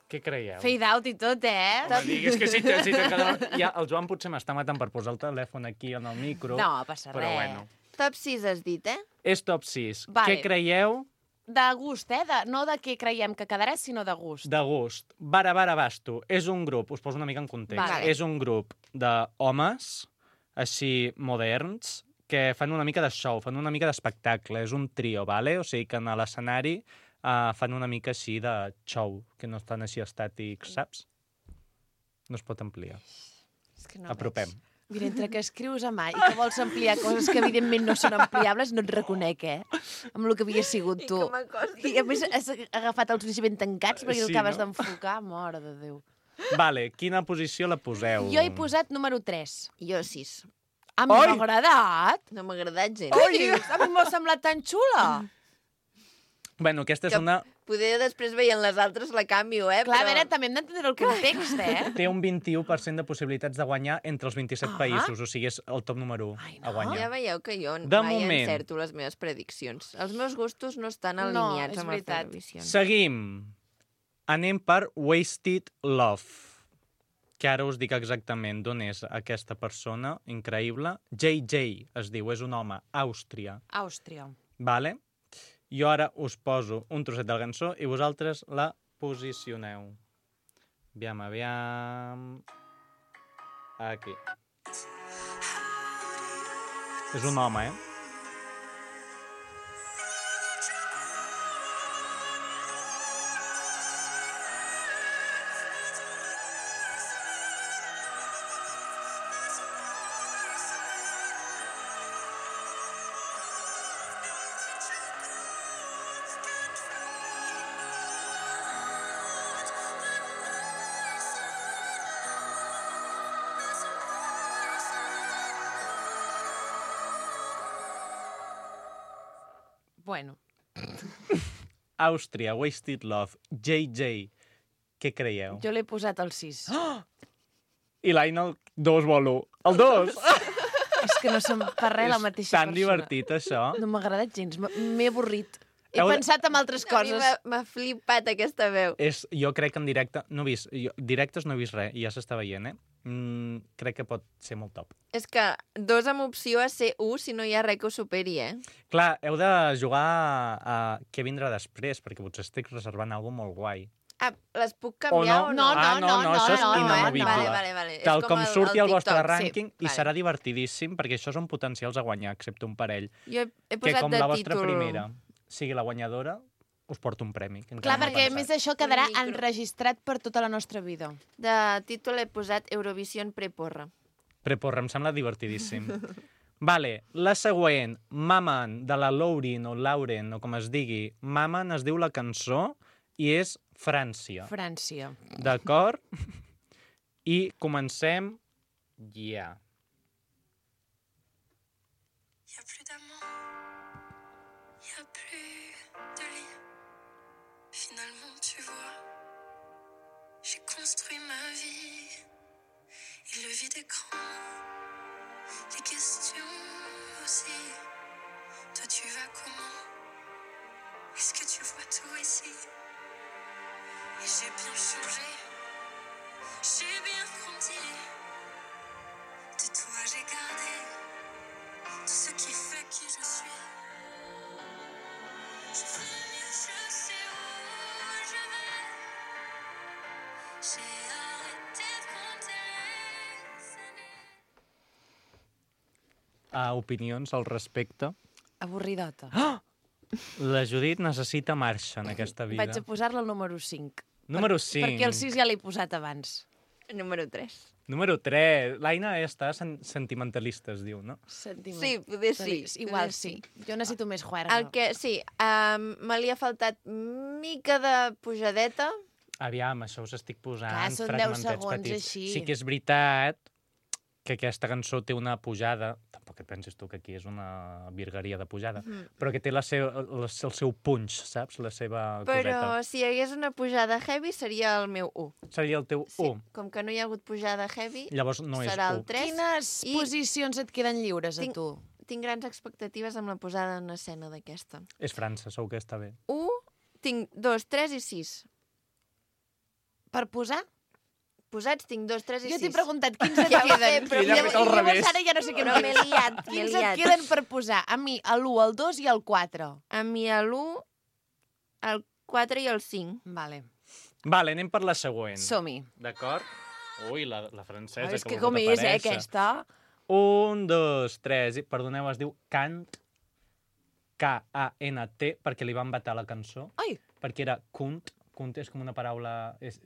Què creieu? Fade out i tot, No diguis que si ja, el Joan potser m'està matant per posar el telèfon aquí en el micro. No, passa però res. bueno. Top 6 has dit, eh? És top 6. Vale. Què creieu? De gust, no de què creiem que quedarà, sinó de gust. De gust. Vara, basto. És un grup, us poso una mica en context. Vale. És un grup d'homes, així moderns, que fan una mica de show, fan una mica d'espectacle. És un trio, vale? O sigui que en l'escenari fan una mica així de show, que no estan així estàtics, saps? No es pot ampliar. És que no Apropem. Mira, entre que escrius a mà i que vols ampliar coses que evidentment no són ampliables, no et reconec, amb el que havia sigut tu. I que m'acosti. I a més has agafat els ulls ben tancats perquè Sí, el acabes no? d'enfocar, mare de Déu. Vale, quina posició la poseu? Jo he posat número 3. Jo 6. A mi m'ha agradat. No m'ha agradat gens. Què dius? A mi m'ha semblat tan xula. Bueno, aquesta és Que una... Poder després veient les altres la canvio, Clar, a veure, també hem d'entendre el context, Té un 21% de possibilitats de guanyar entre els 27 països, o sigui, és el top número 1 a guanyar. Ja veieu que jo De mai moment. encerto les meves prediccions. Els meus gustos no estan alineats és amb les veritat. televisions. Seguim. Anem per Wasted Love, que ara us dic exactament d'on és aquesta persona, increïble. JJ es diu, és un home, Àustria. Àustria. Vale? Jo ara us poso un trosset de la cançó i vosaltres la posicioneu. Aviam... Aquí. És un home, Bueno, Àustria, Wasted Love, JJ. Què creieu? jo l'he posat al 6. I l'Aina el 2 vol 1. El 2! És que no som per res la mateixa Tan persona. divertit, això. No m'ha agradat gens, m'he avorrit. He Heu de- pensat en altres A mi coses. m'ha flippat aquesta veu. Jo crec que en directe... No he vist, directes no he vist res, i ja s'està veient, crec que pot ser molt top. És que 2 amb opció a ser 1 si no hi ha res que ho superi, Clar, heu de jugar a què vindrà després, perquè potser estic reservant alguna molt guai. Ah, les puc canviar o no? No, això és no, inamovible. Vale. Tal És com surti el vostre TikTok, rànquing, i vale. serà divertidíssim, perquè això són potencials a guanyar, excepte un parell. Jo he Que posat com de la vostra títol... primera sigui la guanyadora, us porto un premi. que Clar, encara no he perquè a pensat. més això quedarà micro. enregistrat per tota la nostra vida. De títol he posat Eurovision preporra. Preporra, em sembla divertidíssim. Vale, la següent, Maman, de la Lauren o Lauren, o com es digui. Maman es diu la cançó i és França. França. D'acord? I comencem ja. Y a plus d'amant, y a plus de lit. Finalement, tu vois, j'ai construit ma vie. Et le vide écran, les questions aussi. Toi, tu vas comment? Est-ce que tu vois tout ici? Et j'ai bien changé, j'ai bien grandi. De toi, j'ai gardé tout ce qui fait qui je suis. Je veux mieux, je sais où je vais. J'ai arrêté de compter les années. Opinions al respecte. Avorridota. La Judit necessita marxa en aquesta vida. Vaig a posar-la al número 5. Número 5. Perquè el 6 ja l'he posat abans. Número 3. Número 3. L'Aina està sentimentalista, es diu, no? Sí, poder sí. Igual poder sí. Jo necessito més juerga. El que, sí, me li ha faltat mica de pujadeta. Aviam, això us estic posant Clar, són 10 fragmentets segons petits. així. Sí que és veritat que aquesta cançó té una pujada, tampoc et pensis tu que aquí és una virgueria de pujada, però que té el seu punch, saps? La seva Però coseta. si hi hagués una pujada heavy seria el meu 1. Seria el teu Sí, 1. com que no hi ha hagut pujada heavy, Llavors no és serà el 1. 3. Quines I posicions et queden lliures a tinc- tu? Tinc grans expectatives amb la posada en escena d'aquesta. És França, segur que està bé. 1, tinc 2, 3 i 6. Per posar? Posats tinc 2, 3 i 6. Jo t'he preguntat quins et Ja ho sé, queden. però Ella ha fet al Llavors revés. ara ja no sé què Però m'he liat, m'he Quins et liat. queden per posar? A mi, l'1, el 2 i el 4. A mi l'1, el 4 i el 5. Vale. Vale, anem per la següent. Som-hi. D'acord? Ui, la francesa. És que vol com és, aparèixer. aquesta? 1, 2, 3... Perdoneu, es diu Kant, K-A-N-T, perquè li van vetar la cançó. Ai, Perquè era Kunt. Kunt és com una paraula... És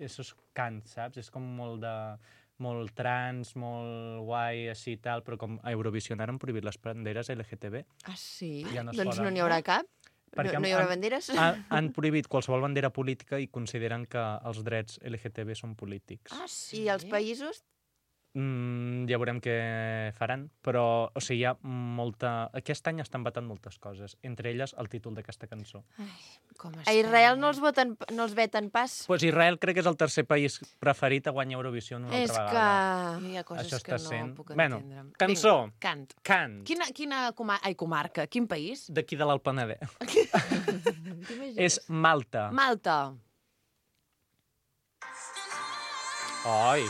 Kant, saps? És com molt trans, molt guai, així i tal, però com a Eurovision ara han prohibit les banderes LGTB. Ah, sí? Ja no es Doncs poden. no n'hi haurà cap? Perquè No hi haurà banderes? Han prohibit qualsevol bandera política i consideren que els drets LGTB són polítics. sí? I els països Ja veurem què faran, però o sigui, hi ha molta... Aquest any estan batant moltes coses, entre elles el títol d'aquesta cançó. Com A Israel no els veten pas. Pues Israel crec que és el tercer país preferit a guanyar Eurovisió una És altra que... vegada. Hi ha coses Això que està no sent... puc Bueno, entendre. cançó. Vinga, cant. Cant. Quina comarca? Quin país? D'aquí de l'Alt Penedès. És Malta. Malta. Oi.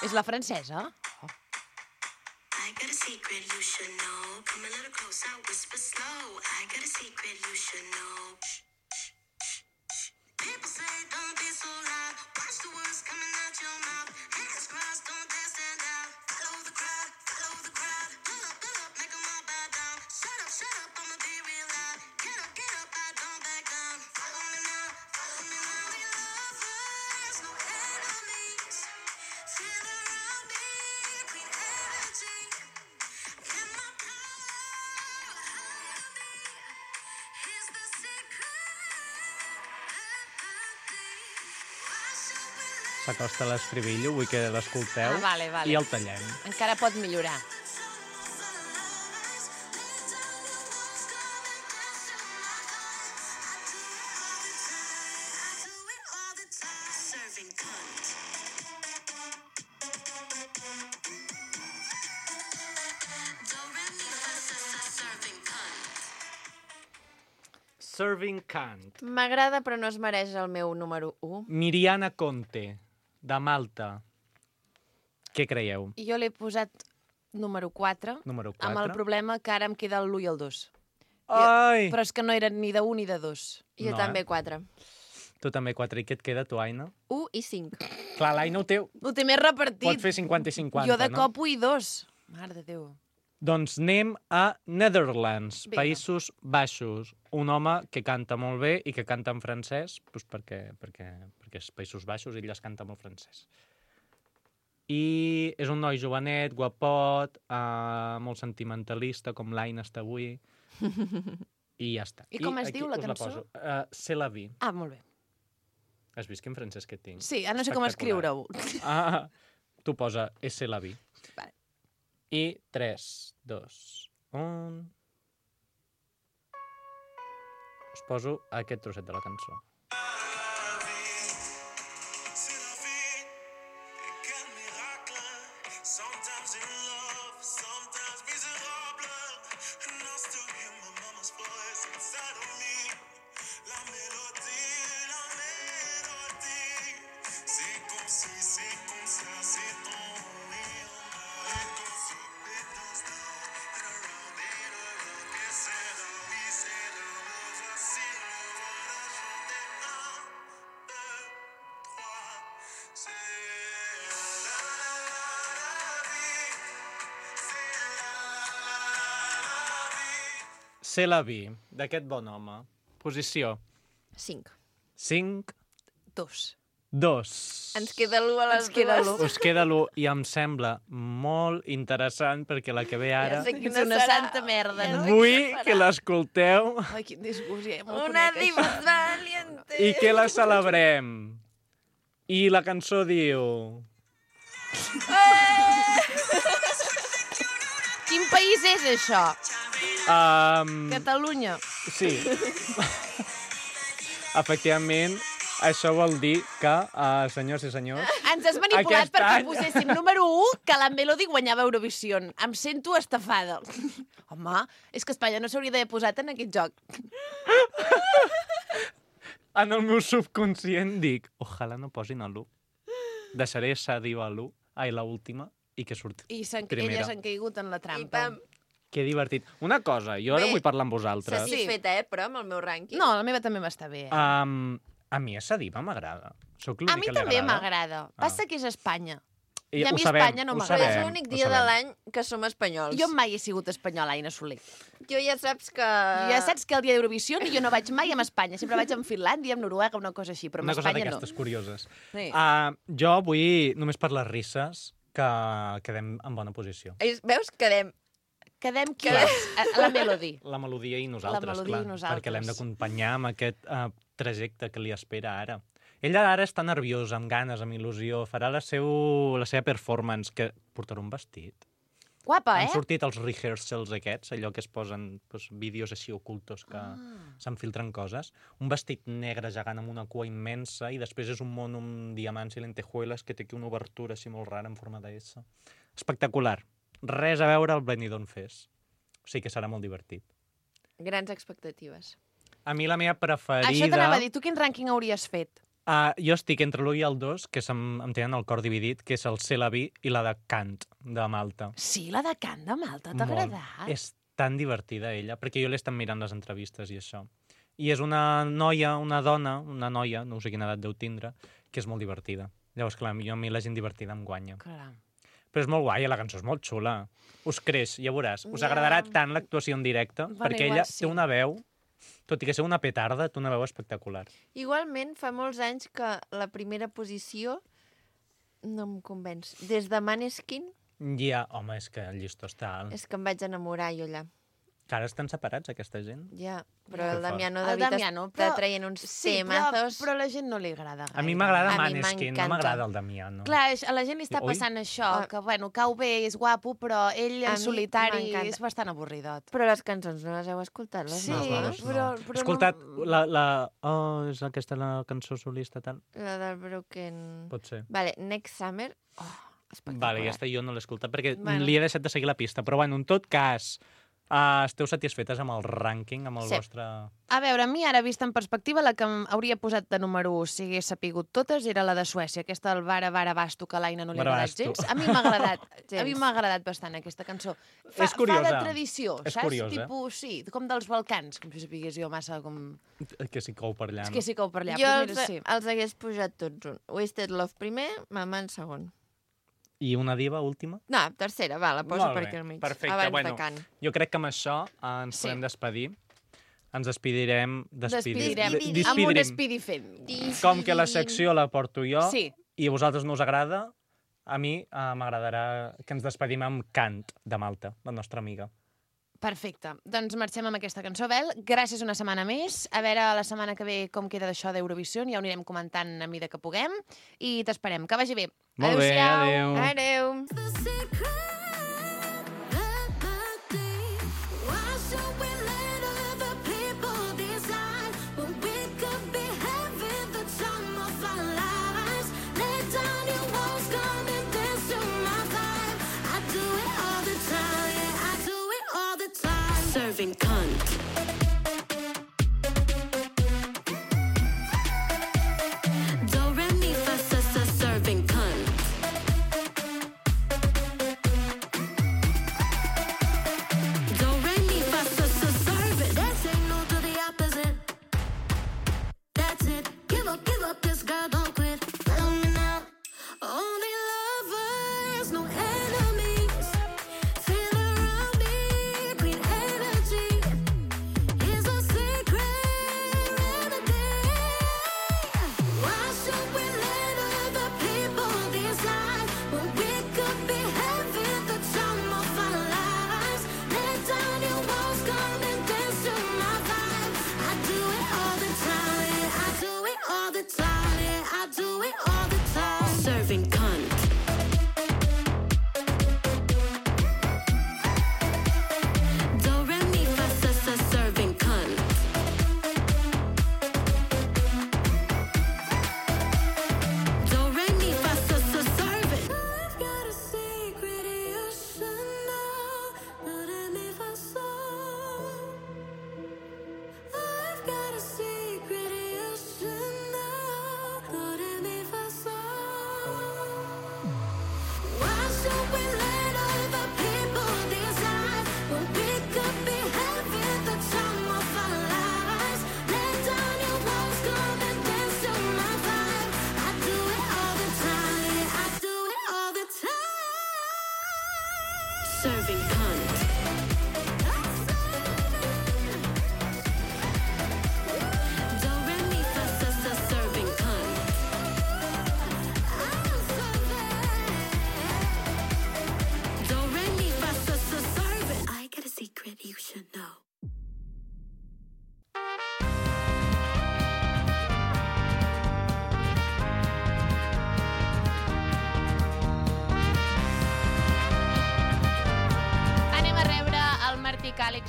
És la francesa? I got a secret you should know. Come a little closer, whisper slow. I got a secret you should know. People say don't be so loud. Watch the words coming out your mouth. Hands crossed, don't dare stand out. Follow the crowd, follow the crowd. Pull up, make 'em all bow down. Shut up, I'ma be real loud. Get up, I don't back down. Follow me now, We lovers, no enemies. Feel around me, green energy. In my power, here's the secret. S'acosta l'estribillo, vull que l'escolteu. Ah, vale. I el tallem. Encara pot millorar. Serving cunt. Do, re, mi, fa, sa, serving cunt. Serving Cant. M'agrada, però no es mereix el meu número 1. Miriana Conte, de Malta. Què creieu? Jo l'he posat número 4, Número amb el 4. problema que ara em queda l'1 i el 2. Ai! Però és que no eren ni de 1 ni de 2. Jo No, també 4. Tu també 4. I què et queda, tu, Aina? 1 i 5. Clar, l'Aina ho té... Ho té més repartit. Pot fer 50 i 50, Jo de no? cop 1 i 2. Mare de Déu. Doncs anem a Netherlands, Vinga. Països Baixos. Un home que canta molt bé i que canta en francès, doncs perquè és Països Baixos i ell es canta molt francès. I és un noi jovenet, guapot, molt sentimentalista, com l'Aina està avui. I ja està. I com es diu la us cançó? poso. C'est la vie. Ah, molt bé. Has vist quin francès que tinc? Sí, ara no sé com Espectacular. escriure-ho. Ah, tu posa C'est la vie. Vale. I 3, 2, 1... Us poso aquest trosset de la cançó. C'est la vie, d'aquest bon home. Posició 5. 5, 2. 2. Ens queda l'1 a les Ens queda dues. l'1. Us queda l'1 i em sembla molt interessant perquè la que ve ara... Ja sé És quina una serà. santa merda, no? Vull que l'escolteu Ai, quin disgust, ja me'l Una conec, diva això. valiente. i que la celebrem. I la cançó diu... Quin país és això? Catalunya. Sí. Efectivament, això vol dir que, senyors i senyors... Ens has manipulat Aquest perquè any- poséssim número 1 que la Melody guanyava Eurovisió. Em sento estafada. Home, és que Espanya no s'hauria d'haver posat en aquest joc. En el meu subconscient dic, ojalà no posin a l'1. Deixaré Sadio a l'1, ai, l'última, i que surti I primera. elles han caigut en la I trampa. pam. Que divertit. Una cosa, jo ara Bé, vull parlar amb vosaltres. Satisfeta, però, amb el meu rànquing. No, la meva també m'està bé. A mi esa diva m'agrada. Soc A l'únic mi que li també agrada. m'agrada. Passa que és Espanya. I a ho mi sabem, Espanya no ho m'agrada. Però és sabem, l'únic ho dia de sabem. l'any que som espanyols. Jo mai he sigut espanyola, Aina Soler. Jo ja saps que... Ja saps que el dia d'Eurovisió jo no vaig mai amb Espanya. Sempre vaig amb Finlàndia, amb Noruega, una cosa així, però amb Una cosa Espanya no. d'aquestes curioses. Sí. Jo vull, només per les risses, que quedem en bona posició. Veus? Quedem. Quedem qui és? La Melody. La melodia i nosaltres, La melodia clar, i nosaltres. perquè l'hem d'acompanyar amb aquest trajecte que li espera ara. Ella ara està nerviosa, amb ganes, amb il·lusió. Farà la seva performance, que portarà un vestit. Guapa, Han sortit els rehearsals aquests, allò que es posen vídeos així ocultos que s'enfiltren coses. Un vestit negre gegant amb una cua immensa i després és un món amb diamants i lentejueles que té aquí una obertura així molt rara en forma de S. Espectacular. Res a veure al Benidorm Fest. O sigui que serà molt divertit. Grans expectatives. A mi la meva preferida... Això t'anava a dir, tu quin rànquing hauries fet? Jo estic entre l'1 i el 2, que em tenen el cor dividit, que és el C'est la vie i la de Kant, de Malta. Sí, la de Kant de Malta, t'ha agradat? És tan divertida, ella, perquè jo l'he estat mirant les entrevistes i això. I és una noia, una noia, no sé quina edat deu tindre, que és molt divertida. Llavors, clar, a mi la gent divertida em guanya. Clar. Però és molt guai, la cançó és molt xula. Us creix, ja veuràs. Us agradarà tant l'actuació en directe, perquè ella té una veu... Tot i que ser una petarda, té una veu espectacular. Igualment, fa molts anys que la primera posició no em convenç. Des de Maneskin Ja, home, és que el llistó està alt. és que em vaig enamorar jo allà. Que ara estan separats, aquesta gent. Ja, però Què el fa? Damiano El David Damiano, està però- traient uns Sí, temazos. però a la gent no li agrada gaire. A mi m'agrada A mi Maneskin, no m'encanta. m'agrada el Damiano. Clar, a la gent li està Ui. passant això, Ah. que, bueno, cau bé, és guapo, però ell A en mi solitari m'encanta. és bastant avorridot. Però les cançons no les heu escoltat, les Sí, noves? però He escoltat la... Oh, és aquesta la cançó solista, tal? La del Broken... Pot ser. Vale, Next Summer. Oh, espectacular. Vale, aquesta jo no l'he escoltat perquè Bueno. li he deixat de seguir la pista. Però, bueno, en tot cas, esteu satisfetes amb el rànquing, amb el Sí. vostre... A veure, a mi ara, vista en perspectiva, la que em hauria posat de número 1, si hagués sapigut totes, era la de Suècia, aquesta del Vara Vara Basto, que a l'Aina no li ha agradat Barabasto. gens. A mi m'ha agradat, Gens. a mi m'ha agradat bastant aquesta cançó. És curiosa. Fa de tradició, És saps? curiosa. Tipus, sí, com dels Balcans, com si sapigués jo massa com... Que s'hi cou per allà, És no? que sí cau per allà, Jo però els, mira, sí. els hagués pujat tots un. Wasted Love primer, Mama en segon. I una diva última? No, tercera, va, la poso Molt per bé, aquí al mig. perfecte, abans bueno. de Can. Jo crec que amb això ens Sí. podem despedir. Ens despedirem... Despidirem. Despidirem. Amb un Despidirem. Speedy fent. Com que la secció la porto jo Sí. i a vosaltres no us agrada, a mi m'agradarà que ens despedim amb Kant, de Malta, la nostra amiga. Perfecte. Doncs marxem amb aquesta cançó, Bel. Gràcies una setmana més. A veure la setmana que ve com queda d'això d'Eurovisió. Ja ho anirem comentant a mida que puguem. I t'esperem. Que vagi bé. Molt bé, Adéu-siau. adéu. Adeu! The secret remedy. Why should we let other people decide when we could be having the time of our lives? Let down your walls, come and dance to my vibe. I do it all the time, yeah, I do it all the time. Serving cunt. Do re mi fa sa sa serving cunt. Do re mi fa sa sa serve it. That's it, no to the opposite. That's it. Give up, this girl don't quit. Follow me now. Only lovers, no enemies. Feel around me, green energy. Is a secret remedy. Why should we let other people decide when we could be having the time of our lives? Let down your walls, come and dance to my vibe. I do it all the time, yeah, I do it all the time, yeah, I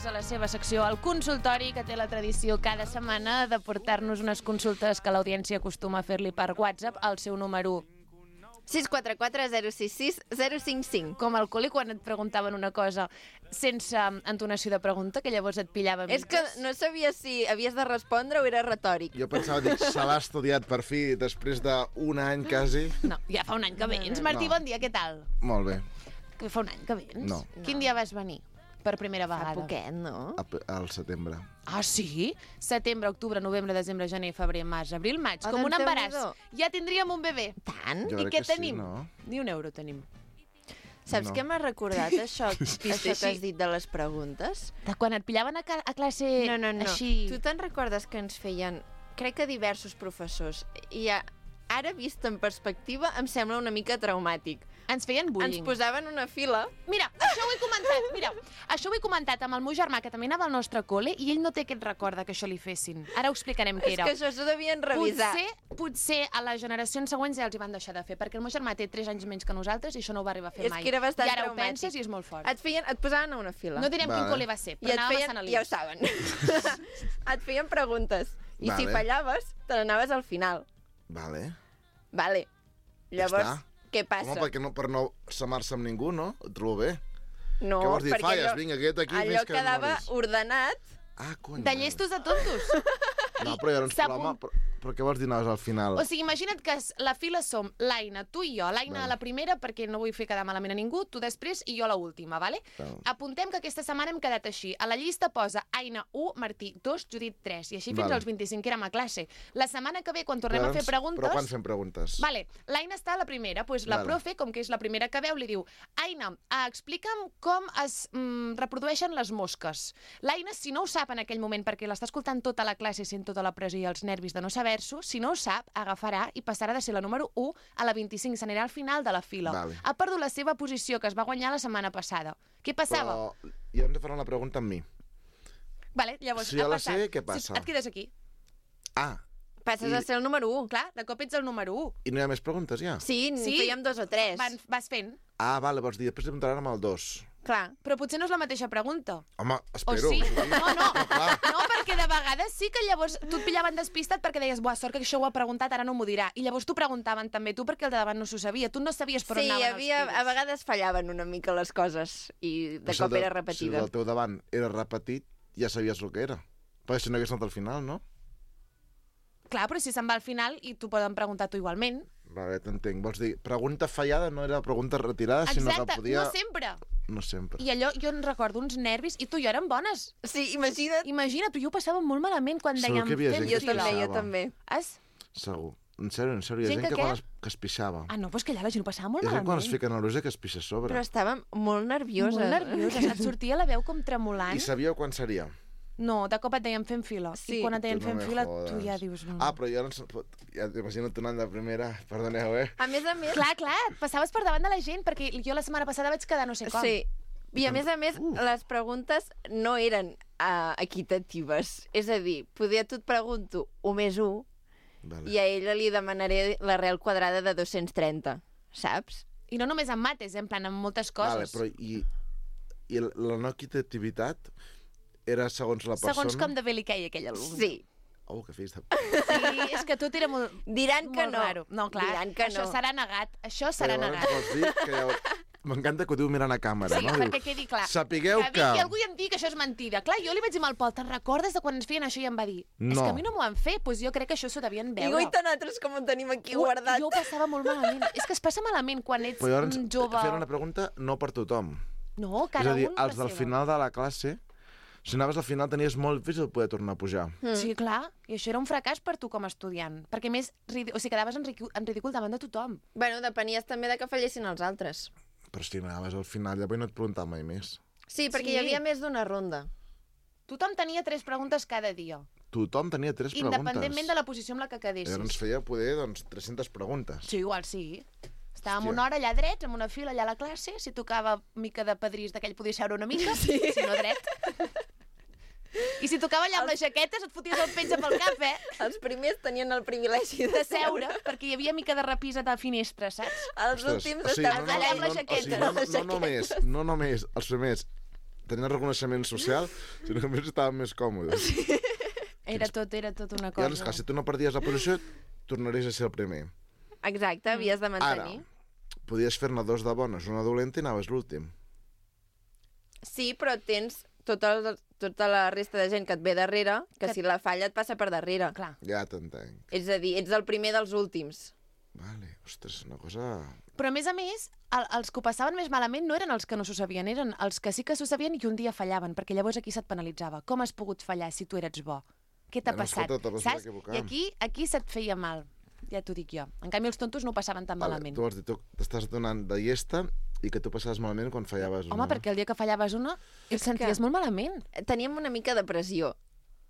a la seva secció El Consultori, que té la tradició cada setmana de portar-nos unes consultes que l'audiència acostuma a fer-li per WhatsApp al seu número 644 066 055. com al col·le quan et preguntaven una cosa sense entonació de pregunta, que llavors et pillava És que no sabia si havies de respondre o era retòric. Jo pensava, dic, se l'ha estudiat per fi, després d'un any quasi. No, ja fa un any que vens. Martí, No. bon dia, què tal? Molt bé, Que fa un any que vens? No. Quin dia vas venir per primera Fa vegada? poquet, no? al setembre. Ah, sí? Setembre, octubre, novembre, desembre, gener, febrer, març, abril, maig. Oh, Com un doncs embaràs. Déu-n'hi-do. Ja tindríem un bebè. Tant? Jo I crec què que sí, tenim? no? Ni un euro tenim. Saps No. què m'ha recordat, això que has dit de les preguntes? De quan et pillaven a classe No. així... Tu te'n recordes que ens feien, crec que diversos professors, i ara vist en perspectiva em sembla una mica traumàtic. Ens feien bullying. Ens posaven una fila. Mira, això ho he comentat, això ho he comentat amb el meu germà, que també anava al nostre col·le, i ell no té aquest record que això li fessin. Ara ho explicarem què És era. que això s'ho devien revisar. Potser a les generacions següents ja els hi van deixar de fer, perquè el meu germà té 3 anys menys que nosaltres i això no ho va arribar a fer És mai. que era bastant I ara traumàtic. ho penses i és molt fort. Et posaven a una fila. No direm quin Vale. col·le va ser, I però et anàvem a feien, Sant Alís. ja ho saben. Et feien preguntes. I si Vale. fallaves, te n'anaves al final. Vale. Vale. Llavors, està. què passa? Home, perquè no, per no samar-se amb ningú, no? Ho trobo bé. No, Què vols dir? perquè Falles, vinga, aquest aquí allò més que quedava moris. ordenat. Ah, cony. De llestos a tontos. No, però llavors, S'ha home, però què vols dir anaves al final? O sigui, imagina't que la fila som l'Aina, tu i jo. L'Aina a la primera, perquè no vull fer quedar malament a ningú, tu després i jo a l'última, vale? Val. Apuntem que aquesta setmana hem quedat així. A la llista posa Aina 1, Martí 2, Judit 3, i així fins Vale. als 25 que érem a classe. La setmana que ve, quan tornem a fer preguntes... Però quan fem preguntes? Vale, l'Aina està a la primera, doncs la Vale. profe, com que és la primera que veu, li diu Aina, explica'm com es reprodueixen les mosques. L'Aina, si no ho sap en aquell moment, perquè l'està escoltant tota la classe, sent tota la pressió i els nervis de no saber-s'ho, si no ho sap, agafarà i passarà de ser la número 1 a la 25, s'anirà al final de la fila. Vale. Ha perdut la seva posició, que es va guanyar la setmana passada. Què passava? Però ja hem de fer la pregunta amb mi. Vale, llavors, Si jo ha la passat. sé, què passa? Et quedes aquí. Ah, Passes a ser el número 1. Clar, de cop ets el número 1. i no hi ha més preguntes, ja? Sí, Sí. fèiem 2 o 3. Vas fent. Ah, vale, vols dir, després li preguntaran amb el 2. Clar. Però potser no és la mateixa pregunta. Home, O espero. sí? sí. No, clar. no, perquè de vegades sí que llavors tu et pillaven despistat perquè deies, buah, sort que això ho ha preguntat, ara no m'ho dirà. I llavors t'ho preguntaven també tu perquè el de davant no s'ho sabia. Tu no sabies per on Sí, anaven havia, els a tiros. vegades fallaven una mica les coses i de Però si cop el era Si repetida. el teu davant era repetit, ja sabies el que era. Perquè si no hagués anat al final, no? Clar, però si se'n va al final i t'ho poden preguntar tu igualment. Vale, t'entenc. Vols dir, pregunta fallada no era pregunta retirada, sinó Exacte, que podia... no sempre. No sempre. I allò, jo en recordo uns nervis, i tu i jo érem bones. Sí, imagina't. Imagina't, tu i jo ho passàvem molt malament quan Segur dèiem... que hi havia fem gent Jo que fila. també, jo pixava. també. Has? Segur. En sèrio, hi ha Gent gent que que què? quan que es pixava. Ah, no, doncs que allà la gent ho passava molt Hi ha gent quan malament. es fica nerviosa que es pixa a sobre. Però estàvem molt nervioses. Molt nervioses. Et sortia la veu com tremolant. I sabíeu quan seria? No, de cop et deien fent fila. Sí. I quan et deien Tu no fent me fila, jodes. tu ja dius... Ah, però jo no... Ja t'imagino tu anant de primera. Perdoneu, A més, Clar, passaves per davant de la gent, perquè jo la setmana passada vaig quedar no sé com. sí. I a més, les preguntes no eren equitatives. És a dir, tu et pregunto 1 més 1 Vale. i a ella li demanaré l'arrel quadrada de 230, saps? I no només en mates, en plan, en moltes Vale, coses. però i la no equitativitat era segons la persona? Segons com de bé li queia aquell alumne. Sí. Oh, que fills de... Sí, és que tot era molt... Diran que molt no. Raro. No, clar, Diran que això no. serà negat. Això serà Llavors negat. vols dir que llavors... M'encanta que ho diu mirant a càmera, Sí, no? perquè quedi clar. Sapigueu que... vingui algú i em digui que això és mentida. Clar, jo li vaig dir al Pol, te'n recordes de quan ens feien això? I em va dir, és No. que a mi no m'ho han fet. Doncs jo crec que això s'ho devien I veure. ui, tant altres com ho tenim aquí guardat. Jo ho passava molt malament. És que es passa malament quan ets Però llavors jove. feien una pregunta no per tothom. No, És cada a dir, un la els del seva. final de la classe, si anaves al final tenies molt difícil poder tornar a pujar. Sí, clar. I això era un fracàs per tu com a estudiant. Perquè a més, o sigui, quedaves en ridícul davant de tothom. Bueno, depenies també de que fallessin els altres. Però si anaves al final, llavors no et preguntava mai més. Sí, perquè Sí. hi havia més d'una ronda. Tothom tenia 3 preguntes cada dia. Tothom tenia 3 preguntes. Independentment de la posició amb la que quedessis. Llavors ens feia poder, 300 preguntes. Sí, igual sí. Estàvem Hòstia. una hora allà drets, amb una fila allà a la classe, si tocava mica de padrís d'aquell podia seure una mica, sí. Si no dret. I si tocava allà amb les jaquetes et foties el penja pel cap, Els primers tenien el privilegi de seure, perquè hi havia mica de repisa de finestra, saps? Els últims estaven allà amb les jaquetes. no només els primers tenien reconeixement social, sinó que a més estaven més còmodes. Era tot una I cosa. aleshores, clar, si tu no perdies la posició, tornaries a ser el primer. Exacte, havies de Ara, mantenir. podies fer-ne dos de bones, una dolenta i anaves l'últim. Sí, però tens tota la resta de gent que et ve darrere, que si la falla et passa per darrere. Clar. Ja t'entenc. És a dir, ets el primer dels últims. Vale, ostres, una cosa... Però, a més, els que ho passaven més malament no eren els que no s'ho sabien, eren els que sí que s'ho sabien i un dia fallaven, perquè llavors aquí se't penalitzava. Com has pogut fallar si tu eres bo? Què t'ha Bueno, passat? escolta, te vas Saps? equivocar. I aquí se't feia mal. Ja t'ho dic jo. En canvi, els tontos no ho passaven tan malament. Tu vols dir, tu t'estàs donant de llesta i que tu passaves malament quan fallaves Home, perquè el dia que fallaves una et senties molt malament. Teníem una mica de pressió,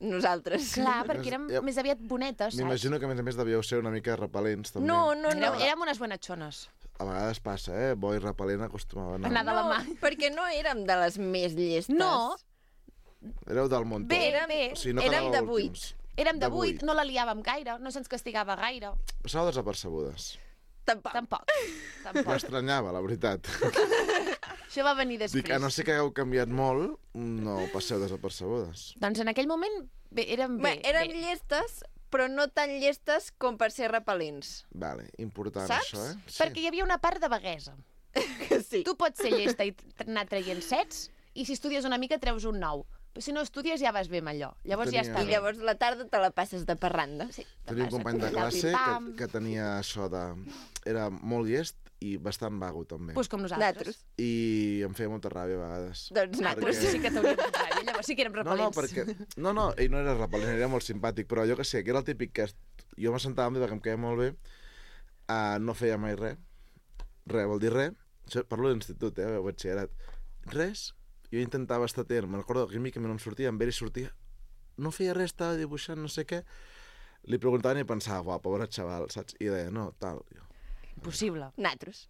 nosaltres. Clar, perquè érem Ja- més aviat bonetes, saps? M'imagino que, a més, devíeu ser una mica repel·lents, també. No. Érem unes bonatxones. A vegades passa, bo i repel·lent acostumava a anar. Anar de la mà. perquè no érem de les més llestes. No. Éreu del muntó. Bé, O sigui, no érem de quedàveu 8. últims. Érem de De 8, vuit. no la liàvem gaire, no se'ns castigava gaire. Passàveu desapercebudes. Tampoc. Tampoc. M'estranyava, la veritat. Això va venir després. Dic, a no ser que hagueu canviat molt, no passeu desapercebudes. Doncs en aquell moment érem bé. Érem llestes, però no tan llestes com per ser repel·lents. Vale, important Saps? això, Perquè hi havia una part de vaguesa. Sí. Tu pots ser llesta i anar traient sets, i si estudies una mica treus un 9. Però si no estudies ja vas bé amb allò. Llavors ja està Tenia- I bé. llavors la tarda te la passes de parranda. Sí, Tenia un vas a company de allà, classe pim-pam. que tenia això de... Era molt llest i bastant vago, també. Pues com nosaltres. Nosaltres. I em feia molta ràbia a vegades. Doncs nosaltres Sí que t'hauríem de ràbia, llavors sí que érem No, repel·lents. perquè... No, ell no era repel·lent, era molt simpàtic, però jo que sé, que era el típic que jo m'assentava amb ell perquè em queia molt bé, no feia mai res. Res, vol dir res. Això, parlo d'institut, de batxillerat. Res. Jo intentava estar atent. Me'n recordo que a mi no em sortia, amb ell sortia. No feia res, estava dibuixant, no sé què. Li preguntaven i pensava, uau, pobre xaval, saps? I deia, no, tal. Jo, Impossible. Nosaltres.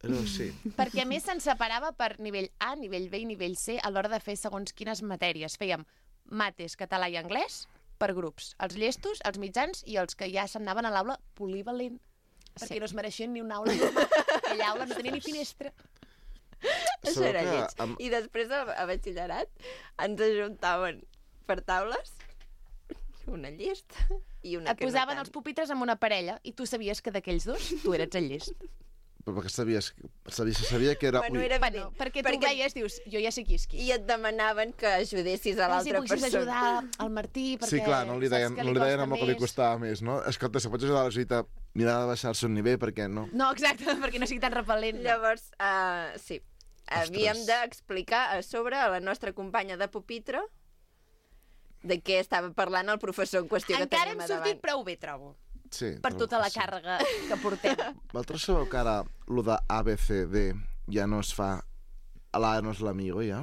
era així. Perquè a més se'n separava per nivell A, nivell B i nivell C a l'hora de fer segons quines matèries. Fèiem mates, català i anglès per grups. Els llestos, els mitjans i els que ja s'anaven a l'aula polivalent. Perquè no es mereixien ni una aula normal. Aquella aula no tenia ni finestra. Això Sabeu era que lleig. amb- I després a batxillerat ens ajuntaven per taules una llesta i una Et que posaven no els tant. pupitres amb una parella i tu sabies que d'aquells dos tu eres el llest. Però perquè sabia que era... Bueno, ui, era Bueno, perquè tu veies, dius, jo ja sé qui és qui. I et demanaven que ajudessis a Si l'altra poguessis persona. ajudar al Martí, perquè Sí, clar, no li saps deien, que no li deien costa amb el que li més. costava més, no? Escolta, si pots ajudar la Judita, mira de baixar el seu nivell, perquè no. No, exacte, perquè no sigui tan repel·lent. Llavors, sí, havíem d'explicar a sobre a la nostra companya de pupitre de què estava parlant el professor en qüestió que Encara teníem hem a sortit davant. prou bé, trobo, Sí, per trobo tota la que sí. càrrega que portem. Vosaltres sabeu que ara lo de ABCD ja no es fa... L'A no és l'amigo, ja?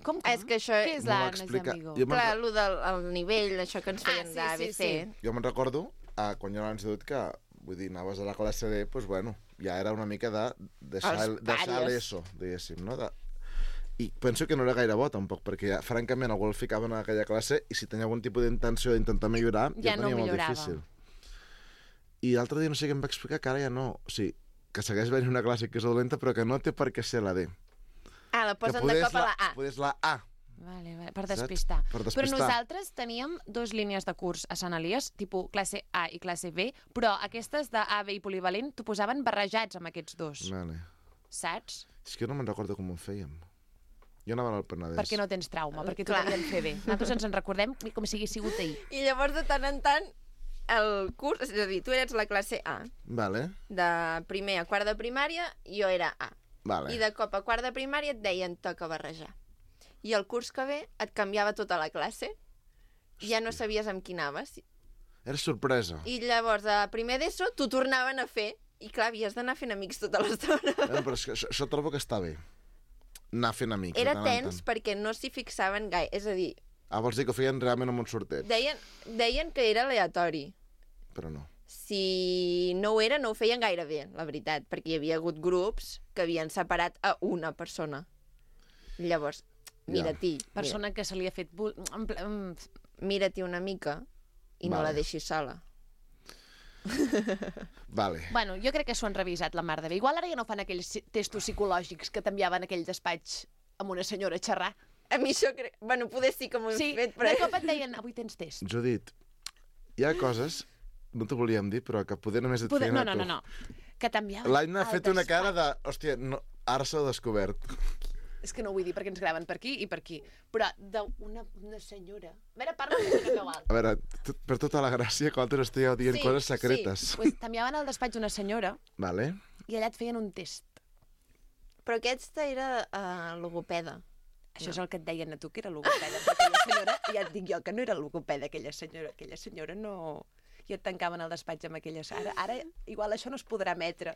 Com que? És que això... Què és No va l'Anna explicar. amigo? Jo me'n Clar, allò del el nivell, això que ens feien sí, d'ABC. sí. Jo me'n recordo, quan jo era a l'institut, que, vull dir, anaves a la classe D, doncs, bueno, ja era una mica de deixar Els deixar pàries. l'ESO, diguéssim, no? I penso que no era gaire bo, tampoc, perquè, ja, francament, algú el ficava en aquella classe i si tenia algun tipus d'intenció d'intentar millorar, Ja ja no tenia molt millorava. difícil. I l'altre dia no sé què em va explicar, que ara ja no. O sigui, que segueix venint una classe que és dolenta, però que no té per què ser la D. Ah, la posen que de cop a la A. Podés la A. Vale, per Saps? despistar. Per Però despistar. nosaltres teníem dos línies de curs a Sant Elies, tipus classe A i classe B, però aquestes de A, B i polivalent t'ho posaven barrejats amb aquests dos, Vale. saps? És que no me'n recordo com ho fèiem. Jo anava al Penedès. Perquè no tens trauma, perquè t'ho Clar. devien fer bé. Nosaltres ens en recordem com si hagués sigut ahir. I llavors, de tant en tant, el curs... És a dir, tu eres la classe A. Vale, De primer a quart de primària, jo era A. vale. I de cop a quart de primària et deien toca barrejar. I el curs que ve et canviava tota la classe. I ja no sabies amb qui anaves. Era sorpresa. I llavors, a primer d'ESO, t'ho tornaven a fer. I clar, havies d'anar fent amics tota l'estona. Però és que això trobo que està bé. Anar fent amics. Era de tant en tens tant. perquè no s'hi fixaven gaire. És a dir, Vols dir que ho feien realment amb un sorteig? deien que era aleatori. Però no. Si no ho era, no ho feien gaire bé, la veritat, perquè hi havia hagut grups que havien separat a una persona. Llavors, mira-t'hi. Persona que se li ha fet... Mira-t'hi una mica i no Vale. la deixis sola. Vale. Bueno, jo crec que s'ho han revisat la mar de bé. Igual ara ja no fan aquells testos psicològics que t'enviaven a aquell despatx amb una senyora a xerrar. A mi això crec... Bueno, poder sí que m'ho he Sí, fet, de però... cop et deien, avui tens test. Judit, hi ha coses, no t'ho volíem dir, però que poder només et feien a tu. No. Que t'enviaven L'Aina ha al fet una cara despatx. de... Hòstia, no, ara s'ho ha descobert. És que no ho vull dir perquè ens graven per aquí i per aquí. Però d'una senyora... A veure, parla una mica igual. A veure, per tota la gràcia, que altres estigueu dient coses secretes. Pues t'enviaven al despatx una senyora Vale. i allà et feien un test. Però aquesta era logopeda. Això és el que et deien a tu, que era logopeda. Però aquella senyora, ja et dic jo, que no era logopeda, aquella senyora. Aquella senyora no... I et tancaven al despatx amb aquelles... Ara igual això no es podrà emetre.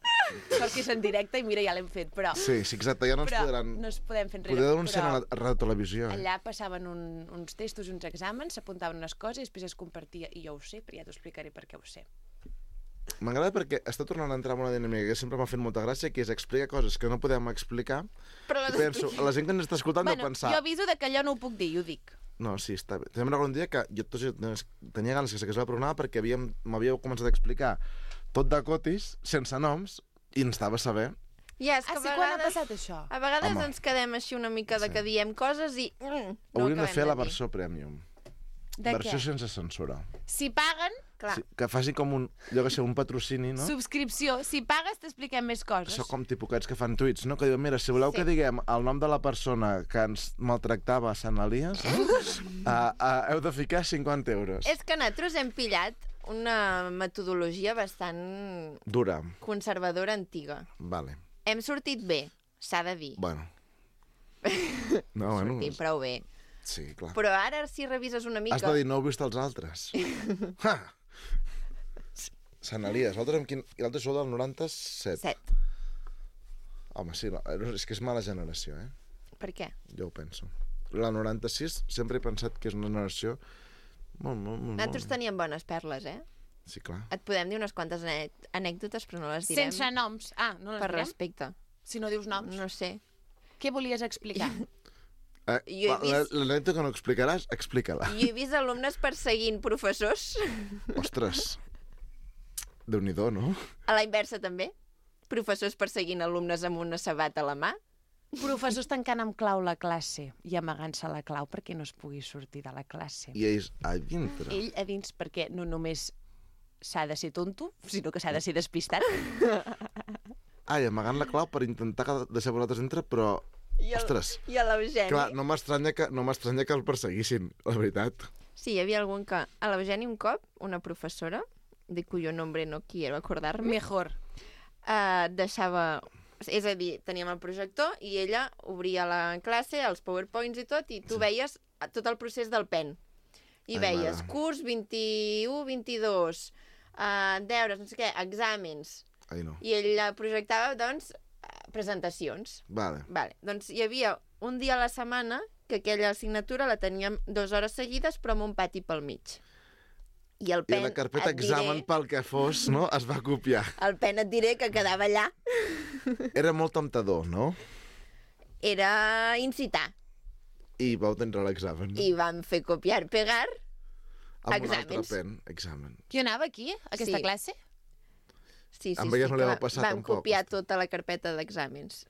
Sort que és en directe i mira, ja l'hem fet, però... Sí, exacte, ja no ens però podran... no es podem fer enrere. Podeu denunciar però a la ràdio televisió, allà passaven uns testos i uns exàmens, s'apuntaven unes coses i després es compartia. I jo ho sé, però ja t'ho explicaré per què ho sé. M'agrada perquè està tornant a entrar en una dinàmica que sempre m'ha fet molta gràcia, que és explicar coses que no podem explicar. Però I penso, la gent que ens està escoltant deu pensar... Jo aviso de que allò no ho puc dir, i ho dic. No, sí, està bé. També me'n recordo un dia que jo tenia ganes que s'hagués el programa perquè m'havíeu començat a explicar tot de cotis, sense noms, i ens estava a saber. Ja, és que Ah, sí, quan ha passat això? A vegades Home. ens quedem així una mica de que diem coses i... no Hauríem de acabem fer la dir. versió premium. De Versió què? sense censura. Si paguen, Clar. Sí, que faci com un, jo que sé, un patrocini, no? subscripció. Si pagues, t'expliquem més coses. Això com tipocats que fan tuits, no? Que diuen, mira, si voleu Sí. que diguem el nom de la persona que ens maltractava a Sant Elias, heu de ficar 50 euros. És que nosaltres hem pillat una metodologia bastant Dura. conservadora antiga. Vale. Hem sortit bé, s'ha de dir. Bueno. No, bueno. Sortim prou bé. Sí, clar. Però ara, si revises una mica... Has de dir, no heu vist els altres. Ha! Sant Elias, l'altre amb quin... I l'altre sou del 97. 7. Home, sí, no, és que és mala generació, eh? Per què? Jo ho penso. La 96 sempre he pensat que és una generació molt... Nosaltres teníem bones perles, eh? Sí, clar. Et podem dir unes quantes anècdotes, però no les direm. Sense noms. Ah, no les Per direm? respecte. Si no dius noms. No sé. Què volies explicar? Jo he vist- L'anècdota que no explicaràs, explica-la. Jo he vist alumnes perseguint professors. Ostres, Déu-n'hi-do, no? A la inversa, també. Professors perseguint alumnes amb una sabata a la mà. Professors tancant amb clau la classe i amagant-se la clau perquè no es pugui sortir de la classe. I ells a dintre. Ell a dins perquè no només s'ha de ser tonto, sinó que s'ha de ser despistat. Ai, amagant la clau per intentar deixar vosaltres dintre, però... Ostres, I a l'Eugeni. clar, no m'estranya que el perseguissin, la veritat. Sí, hi havia algun que... A l'Eugeni un cop, una professora, de cuyo nombre no quiero acordarme, Mejor. deixava... És a dir, teníem el projector i ella obria la classe, els powerpoints i tot, i tu veies tot el procés del pen. I Ai, veies mare. curs 21-22, deures, no sé què, exàmens. Ai, no. I ella projectava, doncs, presentacions. Vale. Vale. Doncs hi havia un dia a la setmana que aquella assignatura la teníem 2 hores seguides, però amb un pati pel mig. I el I pen, la carpeta et diré, examen pel que fos, no? Es va copiar. el pen et diré que quedava allà. Era molt temptador, no? Era incitar. I vau tenir l'examen. I vam fer copiar-pegar. Amb un altre exàmens. pen, examen. Qui anava aquí, a aquesta Sí. classe? Sí, Amb elles no li que va passar, vam tampoc. copiar tota la carpeta d'exàmens.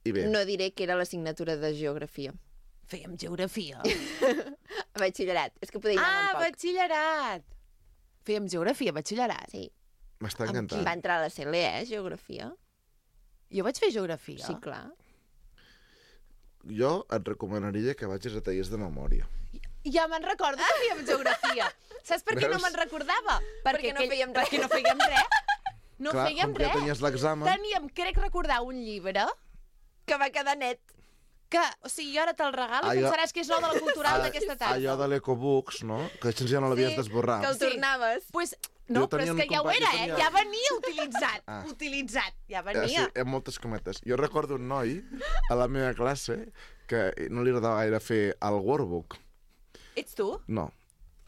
I bé, No diré que era l'assignatura de geografia. Fèiem geografia. A batxillerat. És que poder anar Ah, un poc. batxillerat. Fèiem geografia, batxillerat. Sí. m'està amb encantant. Va entrar a la CLE, geografia. Jo vaig fer geografia. Sí, clar. Jo et recomanaria que vagis a tallers de memòria. Ja me'n recordo que fèiem geografia. Saps per què no Veus? me'n recordava? Perquè no fèiem res. Perquè no fèiem res. No Clar, fèiem com que res. tenies l'examen... Teníem, crec recordar, un llibre Que va quedar net. que, o sigui, jo ara te'l regalo i Allò- pensaràs que és nou de la cultural d'aquesta tarda. Allò de l'Ecobooks, no? Que això ja no l'havies d'esborrar. Que el Sí. tornaves. Pues, no, Jo però tenia és un que ja ho company- era, jo tenia- Ja venia utilitzat. Ah. Utilitzat. Ja Sí, venia. amb moltes cometes. Jo recordo un noi a la meva classe que no li agradava gaire fer el workbook. Ets tu? No.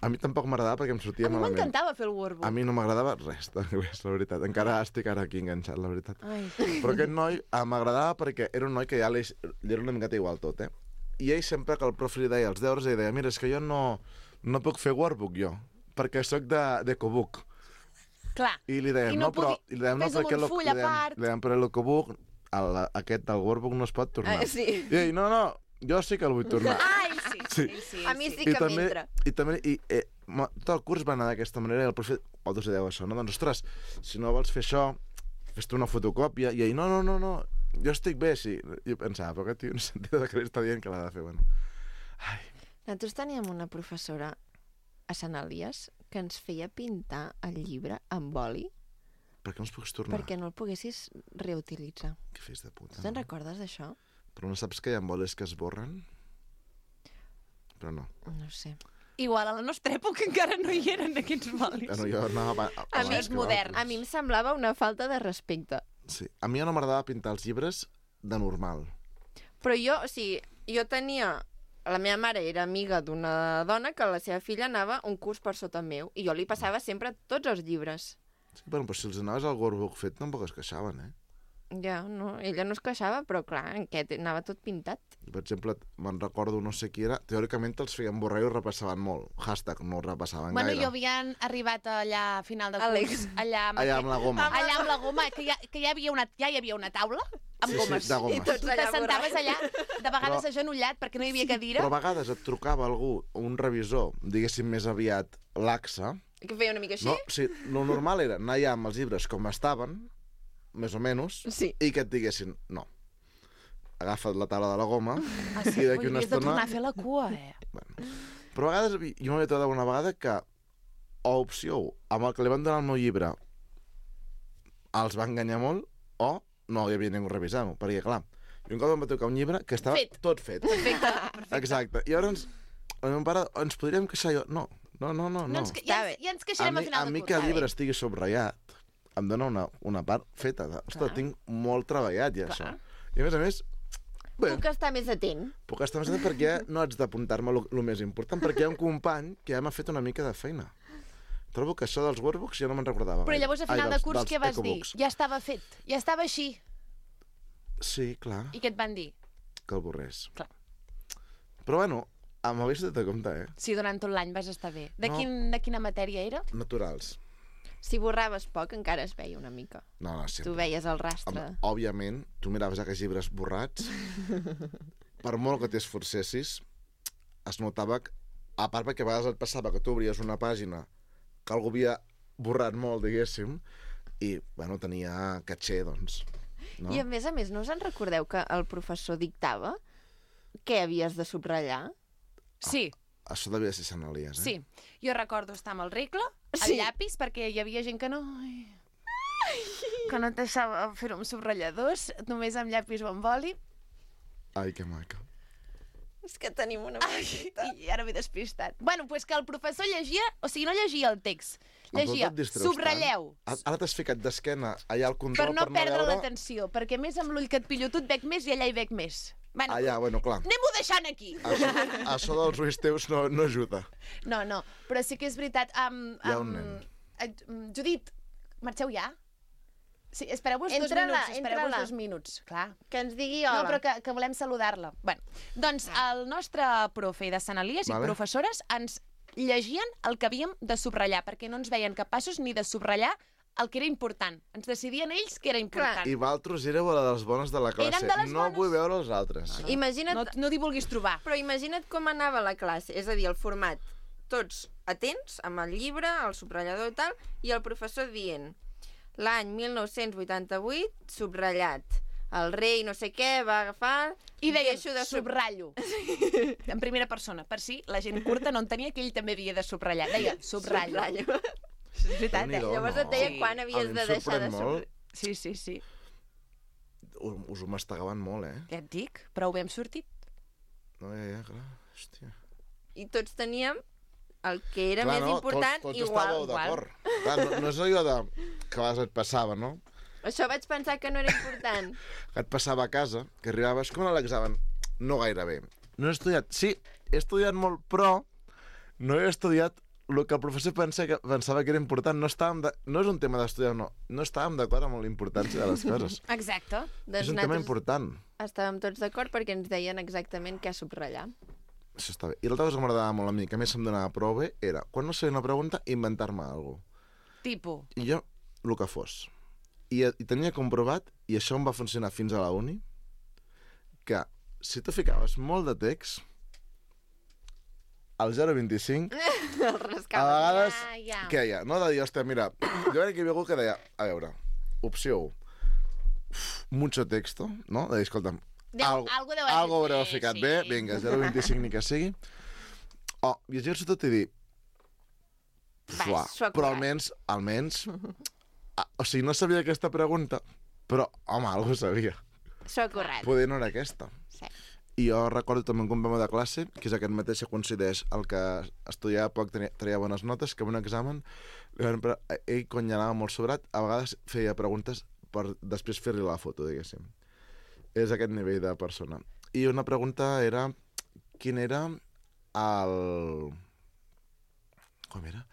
A mi tampoc m'agradava perquè em sortia A mi malament. m'encantava fer el workbook. A mi no m'agradava res d'anglès, la veritat. Encara estic ara aquí enganxat, la veritat. Ai. Però aquest noi m'agradava perquè era un noi que ja li era una miqueta igual tot, eh? I ell sempre que el profe li deia els deures, ell deia, mira, és que jo no puc fer workbook, jo, perquè sóc d'Ecobook. Clar. I li dèiem, I no, no però... podi- I li dèiem, no, fes amb perquè un full a part. li dèiem, però l'Ecobook aquest del workbook no es pot tornar. Sí. I ell, no, jo sí que el vull tornar. Ell sí, Sí. ell sí. A mi sí que m'entra. Tot el curs va anar d'aquesta manera i el profe, vosaltres deu això, no? Doncs, ostres, si no vols fer això, fes-te una fotocòpia. I ell, no, jo estic bé, sí. I jo pensava, però aquest tio no sentia de què li està dient que l'ha de fer, bueno. Ai, Nosaltres teníem una professora a Sant Elies que ens feia pintar el llibre amb oli per què no es pogués tornar? perquè no el poguessis reutilitzar. Que fills de puta. Tu te'n recordes d'això? Però no saps que hi ha boles que es borren? Però no. No ho sé. Igual a la nostra època encara no hi eren aquests bolis. Bueno, jo anava A mi és modern. A mi em semblava una falta de respecte. Sí. A mi ja no m'agradava pintar els llibres de normal. Però jo, o sigui, jo tenia... La meva mare era amiga d'una dona que la seva filla anava un curs per sota meu i jo li passava sempre tots els llibres. Sí, però si els anaves al workbook fet tampoc es queixaven, eh? Ja, no, ella no es queixava, però clar, aquest anava tot pintat. Per exemple, me'n recordo no sé qui era, teòricament els feien borrar i ho repassaven molt. Hashtag, no ho repassaven Bueno, gaire. jo havien arribat allà a final de curs. Àlex. Allà amb la goma. Allà amb la goma, que ja hi havia una taula amb Sí, gomes. sí, de gomes. I tots Tu allà t'assentaves allà, de vegades Però- agenollat, perquè no hi havia cadira. Però a vegades et trucava algú, un revisor, diguéssim més aviat laxa. Que feia una mica així? No, sí, lo normal era anar allà amb els llibres com estaven, més o menys, Sí. i que et diguessin, no, agafa't la taula de la goma, Ah, sí? i d'aquí Ui, una havies de tornar estona... a fer la cua, eh? Bueno. Però a vegades, jo m'havia trobat una vegada que, o opció 1, amb el que li van donar el meu llibre, els va enganyar molt, o no hi havia ningú revisant-ho, perquè, clar, jo un cop em va tocar un llibre que estava Fet. tot fet. Perfecte. Exacte. I llavors, el meu pare, ens podríem queixar jo? No. Ja ens queixarem a final a de mi curs. que el llibre estigui subratllat em dona una part feta. Ostres, tinc molt treballat ja, això. I a més, bé, Puc estar més atent. puc estar més atent perquè no haig d'apuntar-me el més important, perquè hi ha un company que ja m'ha fet una mica de feina. Trobo que això dels workbooks ja no me'n recordava. Però gaire. llavors a final de curs dels què vas dir? ecobooks. Ja estava fet, ja estava així. Sí, clar, I què et van dir? que el borrés. Clar. Però bueno, m'havies de compte, Si durant tot l'any vas estar bé. De, No. de quina matèria era? Naturals. Si borraves poc, encara es veia una mica. No, Tu sempre. veies el rastre. Home, òbviament, tu miraves aquells llibres borrats, per molt que t'esforcessis, es notava que, a part perquè a vegades et passava que tu obries una pàgina que algú havia borrat molt, diguéssim, i, bueno, tenia caché, doncs. No? I a més, no us en recordeu que el professor dictava què havies de subratllar? Sí, Això devia ser Sant Elies, eh? sí. Jo recordo estar amb el regle, el Sí. llapis, perquè hi havia gent que no... que no et deixava fer-ho amb subratlladors, només amb llapis o amb boli. Ai, que maca. És que tenim una... I ara m'he despistat. Bueno, pues que el professor llegia, o sigui, no llegia el text, llegia, Em distraus subratlleu, tant. Ara t'has ficat d'esquena allà al control per no perdre veure... l'atenció, perquè més amb l'ull que et pillo tu et veig més i allà hi veig més. Bueno, Allà, bueno, clar. anem-ho deixant aquí. Això dels ulls teus no ajuda. No, però sí que és veritat. Hi ha un nen. Judit, marxeu ja? Sí, espereu-vos 2 Entra-la, minuts, espereu-vos entra-la. 2 minuts, clar. Que ens digui No, hola. però que volem saludar-la. Bueno, doncs el nostre profe de Sant Elies Vale. i professores ens llegien el que havíem de subratllar, perquè no ens veien capaços ni de subratllar el que era important. Ens decidien ells que era important. I vosaltres éreu la de les bones de la classe. Eren de les no bones? vull veure els altres. Imagina't, No t'hi vulguis trobar. però imagina't com anava la classe. És a dir, el format, tots atents, amb el llibre, el subratllador i tal, i el professor dient l'any 1988, subratllat. El rei no sé què va agafar... I deia, deixo de subratllo. En primera persona, per si la gent curta no entenia que ell també havia de subratllar. Deia, subratllo. Subratllo. És veritat, eh? Déu-n'hi-do, Llavors no. et deia Sí. quan A havies mi de em deixar de sorprèn subratllar. molt. Sí. Us ho mastegaven molt, eh? Ja et dic, prou bé hem sortit. No, ja, clar. Hòstia. I tots teníem el que era Clar, més no, important tots igual. estàveu d'acord. Clar, no és allò de... que a vegades et passava, no? Això vaig pensar que no era important. Que et passava a casa, que arribaves com a l'examen. No gaire bé. No he estudiat. Sí, he estudiat molt, però no he estudiat el que el professor pensava que era important. No és un tema d'estudiar, no. No estàvem d'acord amb la importància de les coses. Exacte. És un tema important. Estàvem tots d'acord perquè ens deien exactament què subratllar. Això està bé. I l'altra cosa que m'agradava molt a mi, que a més em donava prou bé, era, quan no sabia una pregunta, inventar-me alguna cosa. Tipo. I jo, el que fos. I tenia comprovat, i això em va funcionar fins a la uni, que si tu ficaves molt de text, al 0,25, El a rascava. vegades, ja. què hi ha? No de dir, hòstia, mira, jo crec que hi havia algú que deia, a veure, opció 1, mucho texto, no? De dir, escolta'm, algo deu haver algo fet haureu bé, ficat sí. bé, vinga, 0,25 ni que sigui. O llegir-se tot i dir, Va, s'ho ha però currat. almenys, o sigui, no sabia aquesta pregunta, però, home, algú sabia. S'ho ha currat. Poder no era aquesta. Sí. I jo recordo també un company de classe, que és aquest mateix que coincideix el que estudiava poc, traia bones notes, que en un examen ell, quan hi anava molt sobrat, a vegades feia preguntes per després fer-li la foto, diguéssim. És aquest nivell de persona. I una pregunta era quin era el... Com era?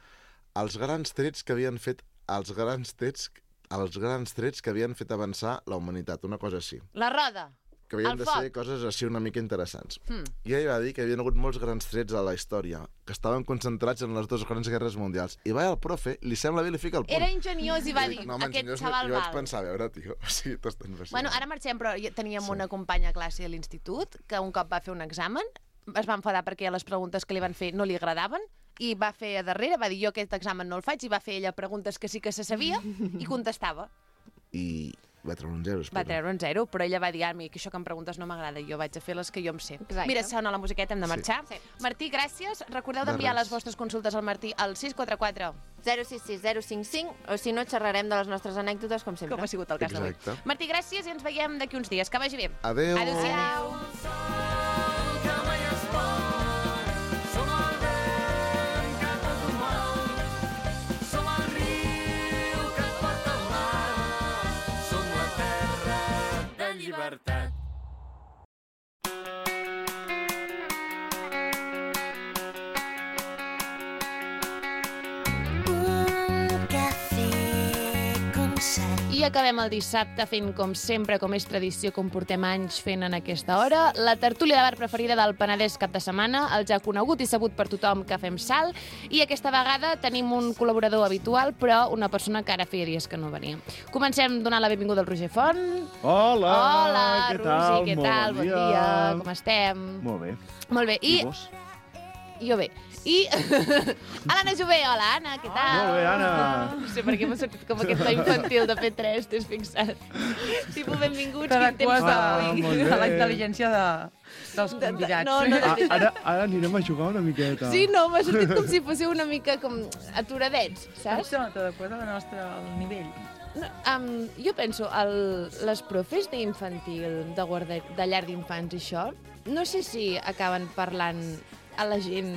Els grans trets que havien fet els grans trets que havien fet avançar la humanitat, una cosa així. La roda. Que havien El de ser foc. coses així una mica interessants. I ell va dir que hi havia hagut molts grans trets a la història, que estaven concentrats en les dues grans guerres mundials. I va el profe, li sembla bé, li fica el punt. Era ingeniós i va dir, No, home, aquest enginyós, xaval jo vaig val. pensar, a veure, tio, o sigui, t'estan fascinant. Bueno, ara marxem, però teníem una companya a classe a l'institut que un cop va fer un examen, es va enfadar perquè les preguntes que li van fer no li agradaven i va fer a darrere, va dir jo aquest examen no el faig, i va fer ella preguntes que sí que se sabia i contestava. I va treure un 0, Va treure un 0, però ella va dir, a mi que això que em preguntes no m'agrada, jo vaig a fer les que jo em sé. Exacte. Mira, sona la musiqueta, hem de marxar. Sí. Martí, gràcies. Recordeu De d'enviar res. les vostres consultes al Martí al 644, 066 055, o si no, xerrarem de les nostres anècdotes, com sempre. com ha sigut el cas d'avui. Exacte. Martí, gràcies i ens veiem d'aquí uns dies. Que vagi bé. Adéu. Adéu-siau. Som el riu que et porta al mar, som la terra de llibertat. Un cafè com sal. I acabem el dissabte fent, com sempre, com és tradició, com portem anys fent en aquesta hora, la tertúlia de bar preferida del Penedès cap de setmana, el ja conegut i sabut per tothom que fem sal, i aquesta vegada tenim un col·laborador habitual, però una persona que ara feia dies que no venia. Comencem donant la benvinguda al Roger Font. Hola, Hola, què Roger, tal? què Molt tal? Bon dia, com estem? Molt bé. Molt bé. I vos? Jo bé. I l'Anna Jové, hola Anna, què tal? Molt bé, Anna. No sé per què m'ha sortit com aquest to infantil de P3, t'has fixat? Tipus, benvinguts, quin temps T'adeques fa Ah, avui. molt bé. a la intel·ligència dels convidats. No, no, de veritat. Ara anirem a jugar una miqueta. Sí, no, m'ha sortit com si fóssiu una mica com aturadets, saps? Això, t'adeques al nivell. No, jo penso, les profes d'infantil, de llar d'infants i això, no sé si acaben parlant a la gent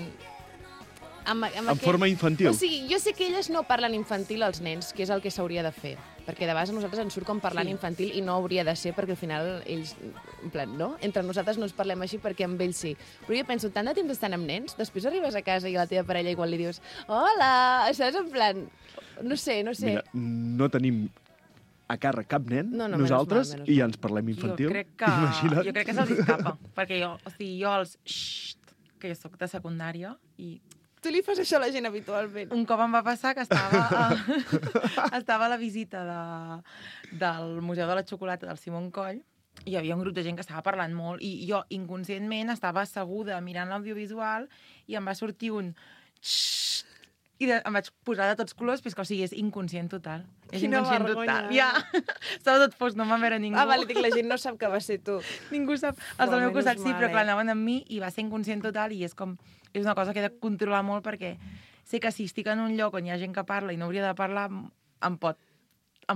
En forma infantil. O sigui, jo sé que elles no parlen infantil als nens, que és el que s'hauria de fer. Perquè de vegades a nosaltres ens surt com parlant infantil i no hauria de ser perquè al final ells, en plan, no? Entre nosaltres no ens parlem així perquè amb ells sí. Però jo penso, tant de temps estan amb nens, després arribes a casa i a la teva parella igual li dius hola, saps? En plan, no sé. Mira, no tenim a càrrec cap nen, No, no, nosaltres, menys mal. i ja ens parlem infantil. Jo crec que se'ls escapa. Perquè jo els... que jo soc de secundària i Tu li fas això a la gent habitualment. un cop em va passar que estava a la visita del Museu de la Xocolata del Simon Coll i hi havia un grup de gent que estava parlant molt i jo inconscientment estava asseguda mirant l'audiovisual i em va sortir un xxxt i em vaig posar de tots colors, però que, o sigui, és inconscient total. És Quina inconscient vergonya. total. Ja, estava tot fos, no em va veure ningú. Ah, vale, dic, la gent no sap que va ser tu. Ningú sap. Els del meu menys costat sí, mal, però clar, anaven amb mi i va ser inconscient total i és com... És una cosa que he de controlar molt perquè sé que si estic en un lloc on hi ha gent que parla i no hauria de parlar, em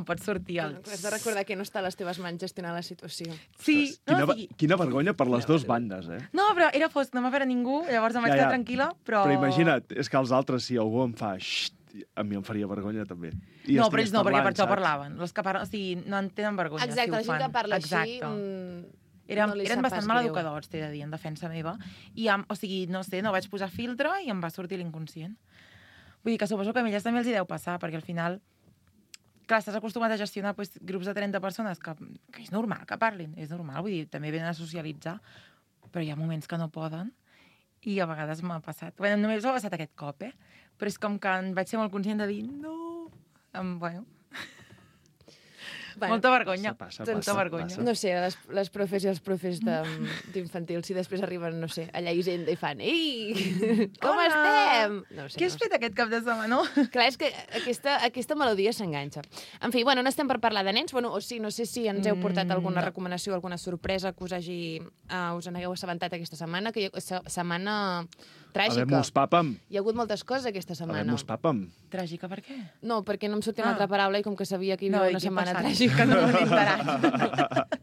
pot sortir el... Has de recordar que no està a les teves mans gestionar la situació. Sí, no, Quina vergonya per les dues bandes, eh? no, però era fosc, no m'ha veure ningú, llavors em vaig quedar tranquil·la, però... Però imagina't, és que els altres, si algú em fa xxt, a mi em faria vergonya també. No, però ells no, perquè per això parlaven. Els que parlen, o sigui, no en tenen vergonya Exacte, si ho la gent fan. que parla Exacte. així... Eren, no li eren sap bastant pas maleducadors, t'he de dir, en defensa meva. I, o sigui, no sé, no vaig posar filtre i em va sortir l'inconscient. Vull dir que suposo que a elles també els hi deu passar, perquè al final, clar, estàs acostumat a gestionar pues, grups de 30 persones que és normal que parlin, és normal, vull dir, també venen a socialitzar, però hi ha moments que no poden i a vegades m'ha passat. Bueno, només m'ha passat aquest cop, però és com que em vaig ser molt conscient de dir no, bueno... Bueno, Molta vergonya. Passa, Molta vergonya. no sé, les profes i els profes d'infantil, si després arriben, no sé, allà a Hisenda i fan ei, com Hola! estem? No sé, Què has fet aquest cap de setmana? Clar, és que aquesta melodia s'enganxa. En fi, bueno, no estem per parlar de nens, bueno, o sí, no sé si ens heu portat alguna recomanació, alguna sorpresa que us en hagueu assabentat aquesta setmana, que setmana tràgica. Habemos papam. Hi ha hagut moltes coses aquesta setmana. Habemos papam. Tràgica, per què? No, perquè no em sortia una altra paraula i com que sabia que hi havia una setmana passat? tràgica. Que no m'he enterat.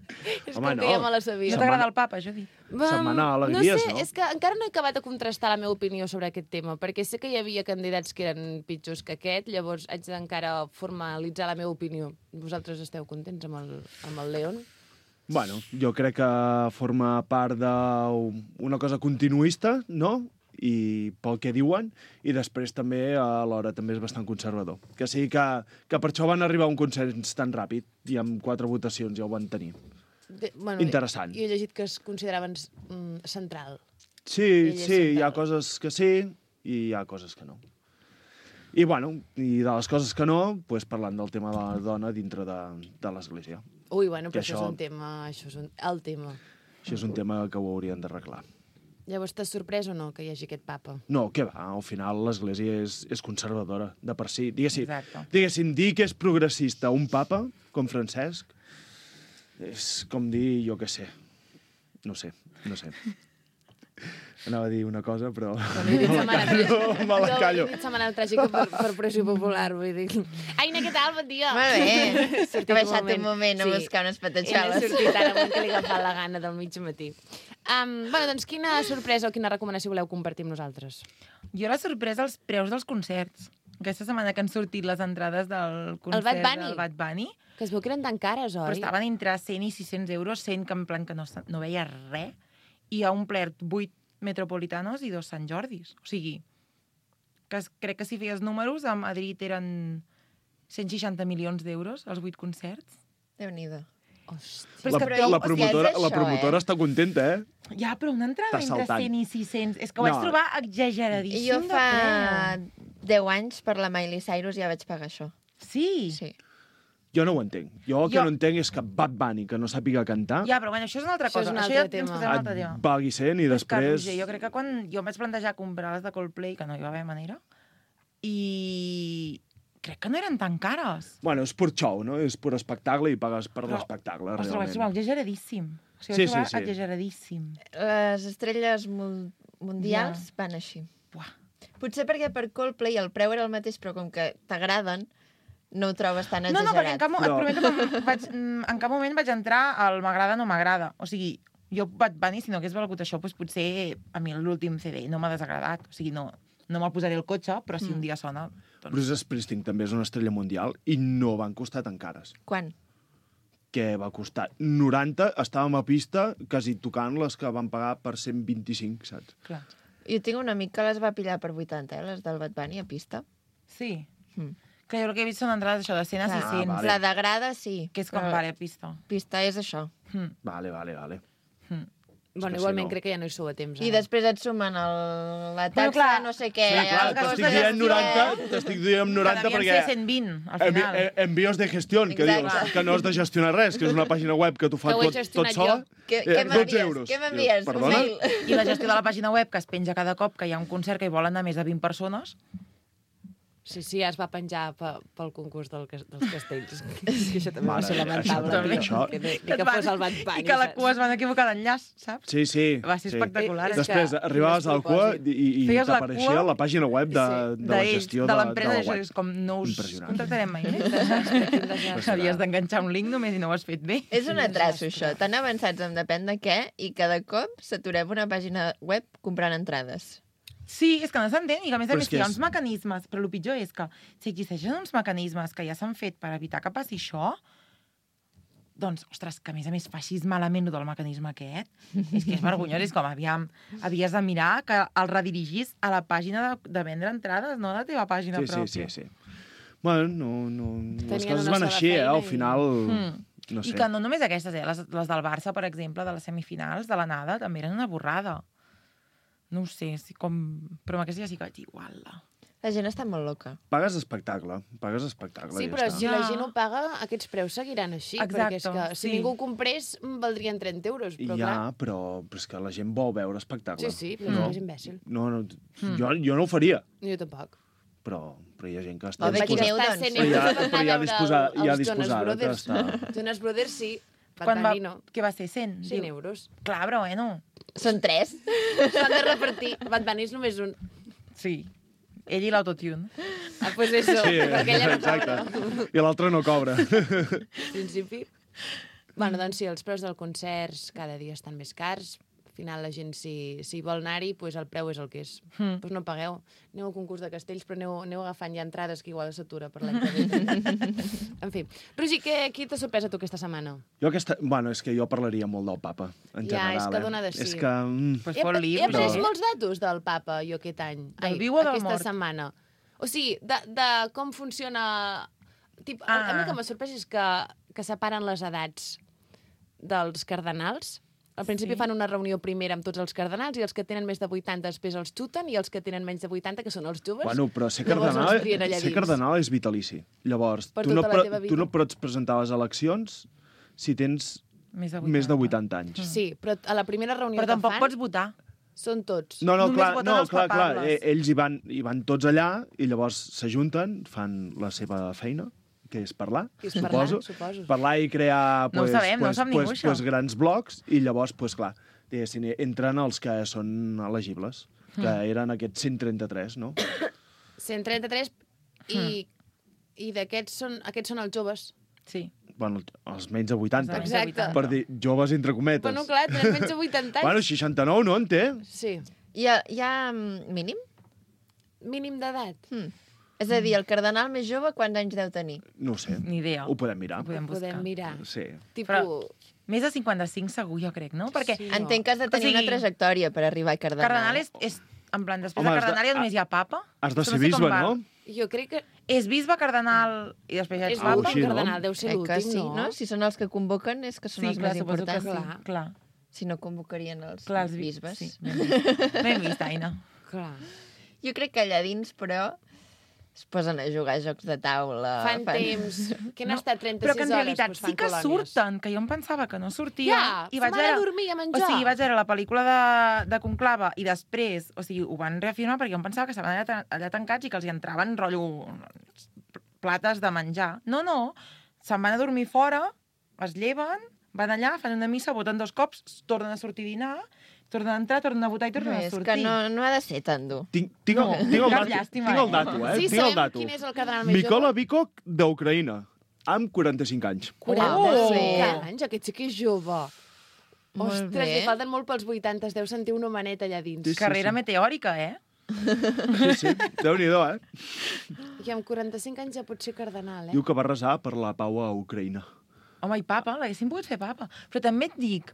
És Home, com que no. ja me la sabia. No t'agrada el papa, Judit? Setmana d'alegries, no sé, no? és que encara no he acabat de contrastar la meva opinió sobre aquest tema, perquè sé que hi havia candidats que eren pitjors que aquest, llavors haig d'encara formalitzar la meva opinió. Vosaltres esteu contents amb el León? Bueno, jo crec que forma part d'una cosa continuista, no? I pel que diuen, i després també alhora també és bastant conservador. Que sigui que per això van arribar a un consens tan ràpid i amb 4 votacions ja ho van tenir. Bueno, Interessant. Jo he llegit que es consideraven central. Sí, hi ha coses que sí i hi ha coses que no. I, bueno, i de les coses que no, pues, parlant del tema de la dona dintre de l'Església. Ui, bueno, però Que això és un tema... Això és el tema. Això és un tema que ho haurien d'arreglar. Llavors, t'has sorprès o no que hi hagi aquest papa? No, què va? Al final l'Església és conservadora, de per si. Exacte. Diguéssim, dir que és progressista un papa, com Francesc, és com dir, jo què sé. No sé. Anava a dir una cosa, però Me la callo. Jo he dit setmana tràgica per pressió popular, vull dir. Aina, què tal? Bon dia. Molt bé. Sortit He baixat un moment a buscar unes He patatxoles. sortit ara amb que li agafat la gana del mig matí. Bueno, doncs quina sorpresa o quina recomanació voleu compartir amb nosaltres? Jo la sorpresa els preus dels concerts. Aquesta setmana que han sortit les entrades del concert Bad Bunny? del Bad Bunny, Que es veu que eren tan cares, oi? però estaven entre 100 i 600 euros, 100 que en plan que no veia res, i ha omplert 8 Metropolitanos i 2 Sant Jordis. O sigui, crec que si feies números, a Madrid eren 160 milions d'euros, els 8 concerts. Déu-n'hi-do. Però és que La promotora està contenta, eh? Ja, però una entrada Està entre saltant. 100 i 600... És que ho vaig trobar exageradíssim Jo de fa preu. 10 anys, per la Miley Cyrus, ja vaig pagar això. Sí? Sí. Jo no ho entenc. Jo el que no entenc és que Bad Bunny, que no sàpiga cantar, Ja, però bueno, això és una altra Això és cosa. un Això altre ja ens tema. posem un altre tema. et pagui 100 i És que, després... Roger, jo crec que quan jo em vaig plantejar comprar les de Coldplay, que no hi va haver manera, i crec que no eren tan cares. Bueno, és pur show, no? És pur espectacle i pagues per l'espectacle, Ostres, ho vaig trobar realment. exageradíssim. O sigui, Sí, ho vaig trobar sí. exageradíssim. Les estrelles mundials van així. Buah. Potser perquè per Coldplay el preu era el mateix, però com que t'agraden, no ho trobes tan No, exagerat. perquè et Però- prometo que en cap moment vaig entrar al m'agrada o no m'agrada. O sigui, jo Bad Bunny, si no hagués valgut això, doncs potser a mi l'últim CD no m'ha desagradat. O sigui, no me'l posaré al cotxe, però si un dia sona... Doncs... Bruce Springsteen també és una estrella mundial i no van costar tan cares. Quan? Que va costar 90, estàvem a pista quasi tocant les que van pagar per 125, saps? Clar. Jo tinc un amic que les va pillar per 80, les del Bad Bunny a pista. Sí. Mm. Que jo el que he vist són entrades això de 100 a 600. vale. La de grada, sí. Que és com, però vale, pista. Pista és això. Vale. Bueno, que igualment si no- crec que ja no hi sou a temps. I després et sumen la taxa, Bueno, clar. no sé què. Sí, clar, el cost t'estic de dient gestió. 90, t'estic dient 90 Que devien perquè... ser 120, al final. Envíos de gestió, que Exacte. dius que no has de gestionar res, que és una pàgina web que t'ho fa Que ho he tot gestionat sola. jo. Què 12 m'envies? euros. Què m'envies? Dius, Un perdona? mail. I la gestió de la pàgina web, que es penja cada cop que hi ha un concert que hi volen anar més de 20 persones. Sí, ja es va penjar pel concurs dels castells. Que això també va Mare, ser lamentable. això- Ni que fos el Bad Bunny. I que la saps? cua es van equivocar d'enllaç, saps? Sí. Va ser espectacular. És Després que arribaves al cua i Feies la t'apareixia cua la pàgina web de la gestió de la l'empresa, web. és com no us Impressionant. contractarem mai més. Havies d'enganxar un link només i no ho has fet bé. És un atraso, això. Tan avançats en depèn de què i cada cop s'aturem una pàgina web comprant entrades. Sí, és que no s'entén, i que a més a Però més és que hi ha és- uns mecanismes, però el pitjor és que si existeixen uns mecanismes que ja s'han fet per evitar que passi això, doncs, ostres, que a més fa així malament el del mecanisme aquest, és que és vergonyós, és com, aviam, havies de mirar que el redirigís a la pàgina de vendre entrades, no a la teva pàgina pròpia. Sí. Bueno, les Tenien coses una van sola així, feina al i- final... No I sé. que no només aquestes, les del Barça, per exemple, de les semifinals, de l'anada, també eren una borrada. No ho sé, però amb aquesta ja sí que vaig dir, uala. La gent està molt loca. Pagues espectacle. Sí, ja però està. si la gent ho paga, aquests preus seguiran així. Perquè és que si ningú ho comprés, valdrien 30 euros. Però Ja, clar... però és que la gent vol veure espectacle. Sí, però és imbècil. No, jo no ho faria, Jo tampoc. però hi ha gent que està Home, quin disposada. eu, doncs. 100 euros per anar a veure els Jonas disposada que Brothers. està... Jonas Brothers, sí. Quan Bad Bunny no. Què va ser, 100? 100 euros. Clar, però bueno. Són 3. S'han de repartir. Bad Bunny és només un. Sí. Ell i l'autotune. Ah, pues eso, Sí, perquè ella no exacte. cobra. I l'altre no cobra. En principi. Bueno, doncs sí, els preus dels concerts cada dia estan més cars. Al final la gent, si vol anar-hi, pues el preu és el que és. Pues no pagueu. Aneu al concurs de castells, però aneu agafant ja entrades que igual s'atura per l'any que ve. En fi. Roger, qui t'ha sorprès a tu aquesta setmana? Bueno, és que jo parlaria molt del papa, en Ja, general. és que dona de sí. És que... Pues fot-li, He après però- molts datos del papa, jo, aquest any. Del viu o del aquesta mort? setmana. O sigui, de com funciona... A mi el que m'ha sorprès és que separen les edats dels cardenals. Al principi fan una reunió primera amb tots els cardenals i els que tenen més de 80 després els xuten i els que tenen menys de 80, que són els joves, Bueno, però ser llavors els trien allà ser dins. cardenal és vitalici. Llavors, Per tu no, tota la teva vida. tu no pots presentar les eleccions si tens Més més de 80 anys. Sí, però a la primera reunió Però que tampoc fan pots votar. són tots. No, Només voten els clar. papables. Ells hi van tots allà i llavors s'ajunten, fan la seva feina, que és parlar, Que és parlar, suposo. suposo. Parlar i crear No ho sabem, no ho sap ningú, això. grans blocs i llavors, clar, diguéssim, entren els que són elegibles, que eren aquests 133, no? 133 i d'aquests aquests són els joves. Sí. Bueno, els menys de 80. Exacte. Per dir joves entre cometes. Bueno, clar, tenen menys de 80 anys. Bueno, 69 no en té. Sí. Hi ha mínim? Mínim d'edat. És a dir, el cardenal més jove quants anys deu tenir? No ho sé. Ni idea. Ho podem mirar. Ho podem buscar. Podem mirar. Sí. Tipus... Però més de 55 segur, jo crec, no? Perquè Sí. Entenc que has de tenir O sigui, una trajectòria per arribar a cardenal. cardenal és en plan, després Home, de has de- cardenal ja només hi ha papa. Has de Això ser no sé com bisbe, va. no? Jo crec que És bisbe, cardenal i després ja és ets papa. l'últim així, no? cardenal, deu ser Que l'últim, sí, no? Si són els que convoquen, és que són Sí, els clar, més suposo que importants. sí. Clar. Si no, convocarien els Clar, els bisbes. Sí. No hem vist, Aina. Clar. Jo crec que allà dins, però, es posen a jugar a jocs de taula. Fan temps. Que han estat 36 Però que en hores, realitat doncs fan sí que colònies. surten, que jo em pensava que no sortia. Ja, i se'n van a dormir a menjar. O sigui, vaig veure la pel·lícula de Conclava i després, o sigui, ho van reafirmar perquè jo em pensava que estaven allà tancats i que els hi entraven rotllo plates de menjar. No, se'n van a dormir fora, es lleven, van allà, fan una missa, voten 2 cops, tornen a sortir a dinar, tornen a entrar, tornen a votar i tornen a És sortir. que no ha de ser tan dur. Tinc el cap dato, llàstima, tinc el dato, Sí, tinc el sabem dato. quin és el cardenal més Mikola jove. Vikok, d'Ucraïna, amb 45 anys. 45 anys, aquest sí que és jove. Molt Ostres, bé. li falten molt pels 80, es deu sentir un homenet allà dins. Sí. Carrera meteòrica, eh? Sí, Déu-n'hi-do, I amb 45 anys ja pot ser cardenal, eh? Diu que va resar per la pau a Ucraïna. Home, i papa, l'haguéssim pogut fer papa. Però també et dic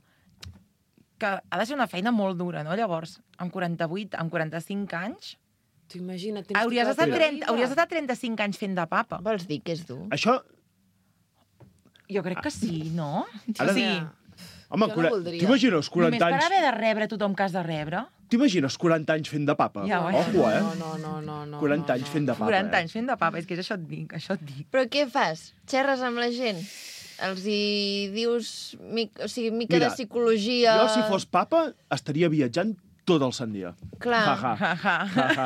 que ha de ser una feina molt dura, no? Llavors, amb 48, amb 45 anys, Tu imagina't, tens hauries tota la estat, teva vida. hauries estat 35 anys fent de papa. Vols dir que és dur? Això, Jo crec que sí, no? Ara- O sigui, home, Jo no voldria. t'imagines 40 només per anys... haver de rebre tothom que has de rebre, T'imagines 40 anys fent de papa? Ja, Ojo, eh? No. 40 anys fent de papa, 40 anys fent de papa, és que és això et dic, això et dic. Però què fas? Xerres amb la gent? Els hi dius mica Mira, de psicologia... Jo, si fos papa, estaria viatjant tot el sant dia. Clar. Ja, ja.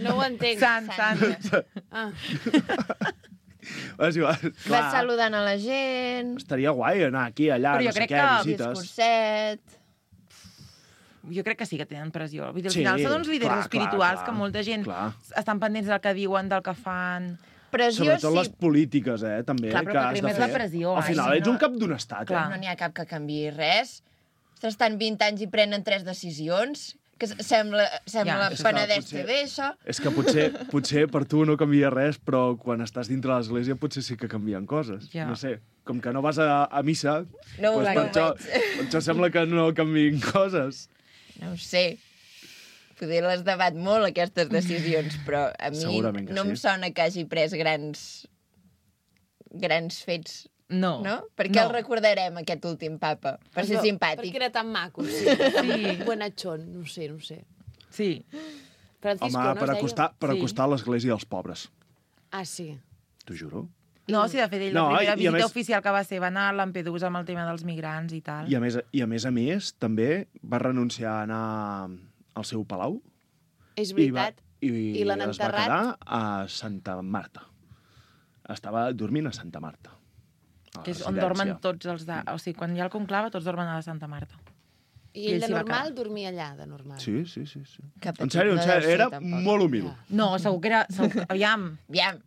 No ho entenc. Sant. Ah, És igual, Vas clar. saludant a la gent, Estaria guai anar aquí, allà, Però jo no sé crec què, que visites. discurset... Jo crec que sí que tenen pressió. Vull dir, al Sí, final són uns líders clar, espirituals clar, que molta gent clar. estan pendents del que diuen, del que fan... Pressió Sobretot sí, les polítiques, també, Clar, però que que has de primer és fer. la pressió, Al final ai, ets un cap d'un estat, Clar. no n'hi ha cap que canvi res. Ostres, estan 20 anys i prenen 3 decisions, que sembla Ja. És que Penedès potser- TV, això. És que potser per tu no canvia res, però quan estàs dintre de l'església potser sí que canvien coses. Ja. No sé, com que no vas a missa, No ho doncs per veig. això sembla que no canviïn coses. No ho sé. Poder les debat molt, aquestes decisions, però a mi Segurament que no em sí. sona que hagi pres grans fets, No. no? Per què el recordarem, aquest últim papa? Per ser simpàtic. Perquè era tan maco, sí. Sí. Buenachón, no sé. Sí. Francisco, Home, no per es deia? acostar l'església als pobres. Ah, sí. T'ho juro. No, sí, de fet, ell, No, la primera i a visita més- oficial que va ser va anar a Lampedusa amb el tema dels migrants i tal. I a més, també va renunciar a anar al seu palau És veritat. i l'han es va enterrat? quedar a Santa Marta. Estava dormint a Santa Marta. A Que és la on residència. dormen tots els de... O sigui, quan hi ha el conclave, tots dormen a la Santa Marta. I ell ell de s'hi va normal quedar. dormia allà, de normal. Sí. Que En petit sèrio, no deu ser, era tampoc. molt humil. No, segur que era... Aviam.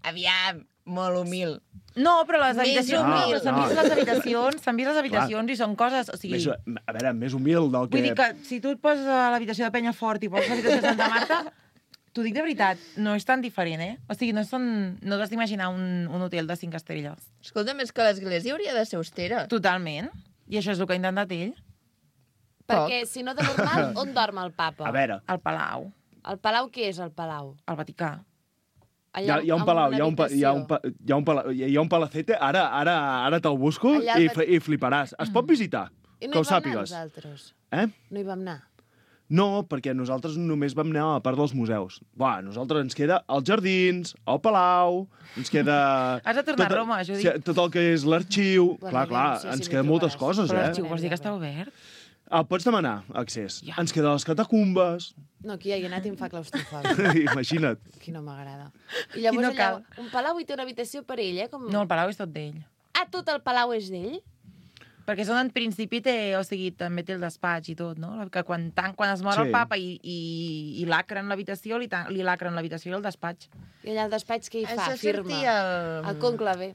Aviam, molt humil. No, però les Més habitacions... humil. No, però s'han vist les habitacions, i són coses... O sigui, A veure, més humil del que... vull dir que si tu et poses a l'habitació de Penyafort i poses a l'habitació de Santa Marta, t'ho dic de veritat, no és tan diferent, eh? O sigui, no t'has d'imaginar un hotel de 5 estrelles. Escolta, més que l'església hauria de ser austera. Totalment. I això és el que ha intentat ell. Perquè, si no de normal, on dorm el papa? A veure, Al Palau, El palau, què és el palau? al Vaticà. hi ha un palau, hi ha un palacete, ara te'l busco Allà i fliparàs. Es pot visitar, I no que ho hi vam anar sàpigues. nosaltres. No hi vam anar. No, perquè nosaltres només vam anar a la part dels museus. A nosaltres ens queda els jardins, el palau, ens queda... Has de tornar a Roma, Judit. Tot el que és l'arxiu. Bueno, Clar, sí, ens sí, queden m'hi moltes trobaràs. coses, Però eh? l'arxiu vols dir que està obert? Pots demanar accés. Ja. Ens queden les catacumbes. No, aquí ja hi he anat i em fa claustrofòbia. Imagina't. Aquí no m'agrada. I llavors no allà, cal. un palau i té una habitació per ell, eh? Com... No, el Palau és tot d'ell. Ah, tot el palau és d'ell? Perquè és on en principi té, o sigui, també té el despatx i tot, no? Que quan es mor Sí. el papa i lacren l'habitació, li lacren l'habitació i el despatx. I allà al despatx què hi fa? Això Firma. sortia El conclave.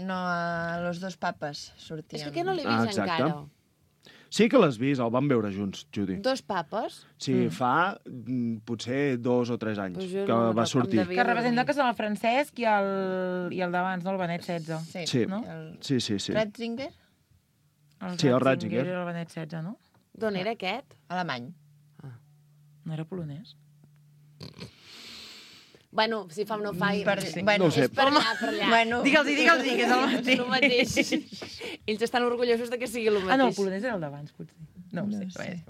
No, a los dos papes sortien. És que no l'he vist exacte. encara. Sí que l'has vist, el vam veure junts, Judy. Dos papes? Sí, fa potser 2 o 3 anys Pues jo que no va em sortir. devia Que representa dormir. que són el Francesc i el d'abans, no? El Benet XVI. Sí, no? sí, sí. sí. Ratzinger? Sí, el Ratzinger. I el Benet XVI, no? D'on era aquest? Alemany. No era polonès? Bueno, si fa o no fa... No ho sé. És per allà, per allà. Bueno, Digue'ls, que és el mateix. El mateix. Ells estan orgullosos de que sigui el mateix. Ah, no, el polonès era el d'abans, potser. No ho sé. sé.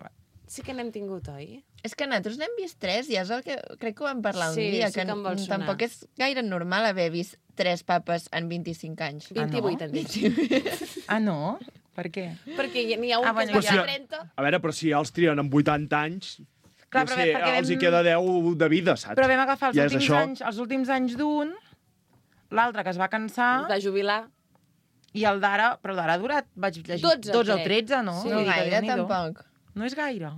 Sí que n'hem tingut, oi? és que nosaltres n'hem vist 3 i és el que crec que ho vam parlar un Sí, dia, sí que em vol sonar. tampoc és gaire normal haver vist 3 papes en 25 anys. 28, en dic. Ah, no? Per què? Perquè n'hi ha un Ah, que bueno, es ja. va 30... A veure, però si ja els trien amb 80 anys, Clar, ja però sé, perquè els hi vam- queda 10 de vida, saps? Però vam agafar Ja és això. els últims anys d'un, l'altre que es va cansar, Es va jubilar. i el d'ara, però l'ara ha durat, vaig llegir, 12 o crec. 13, no? Sí. No Vull dir que gaire, Déu-n'hi-do. tampoc. No és gaire.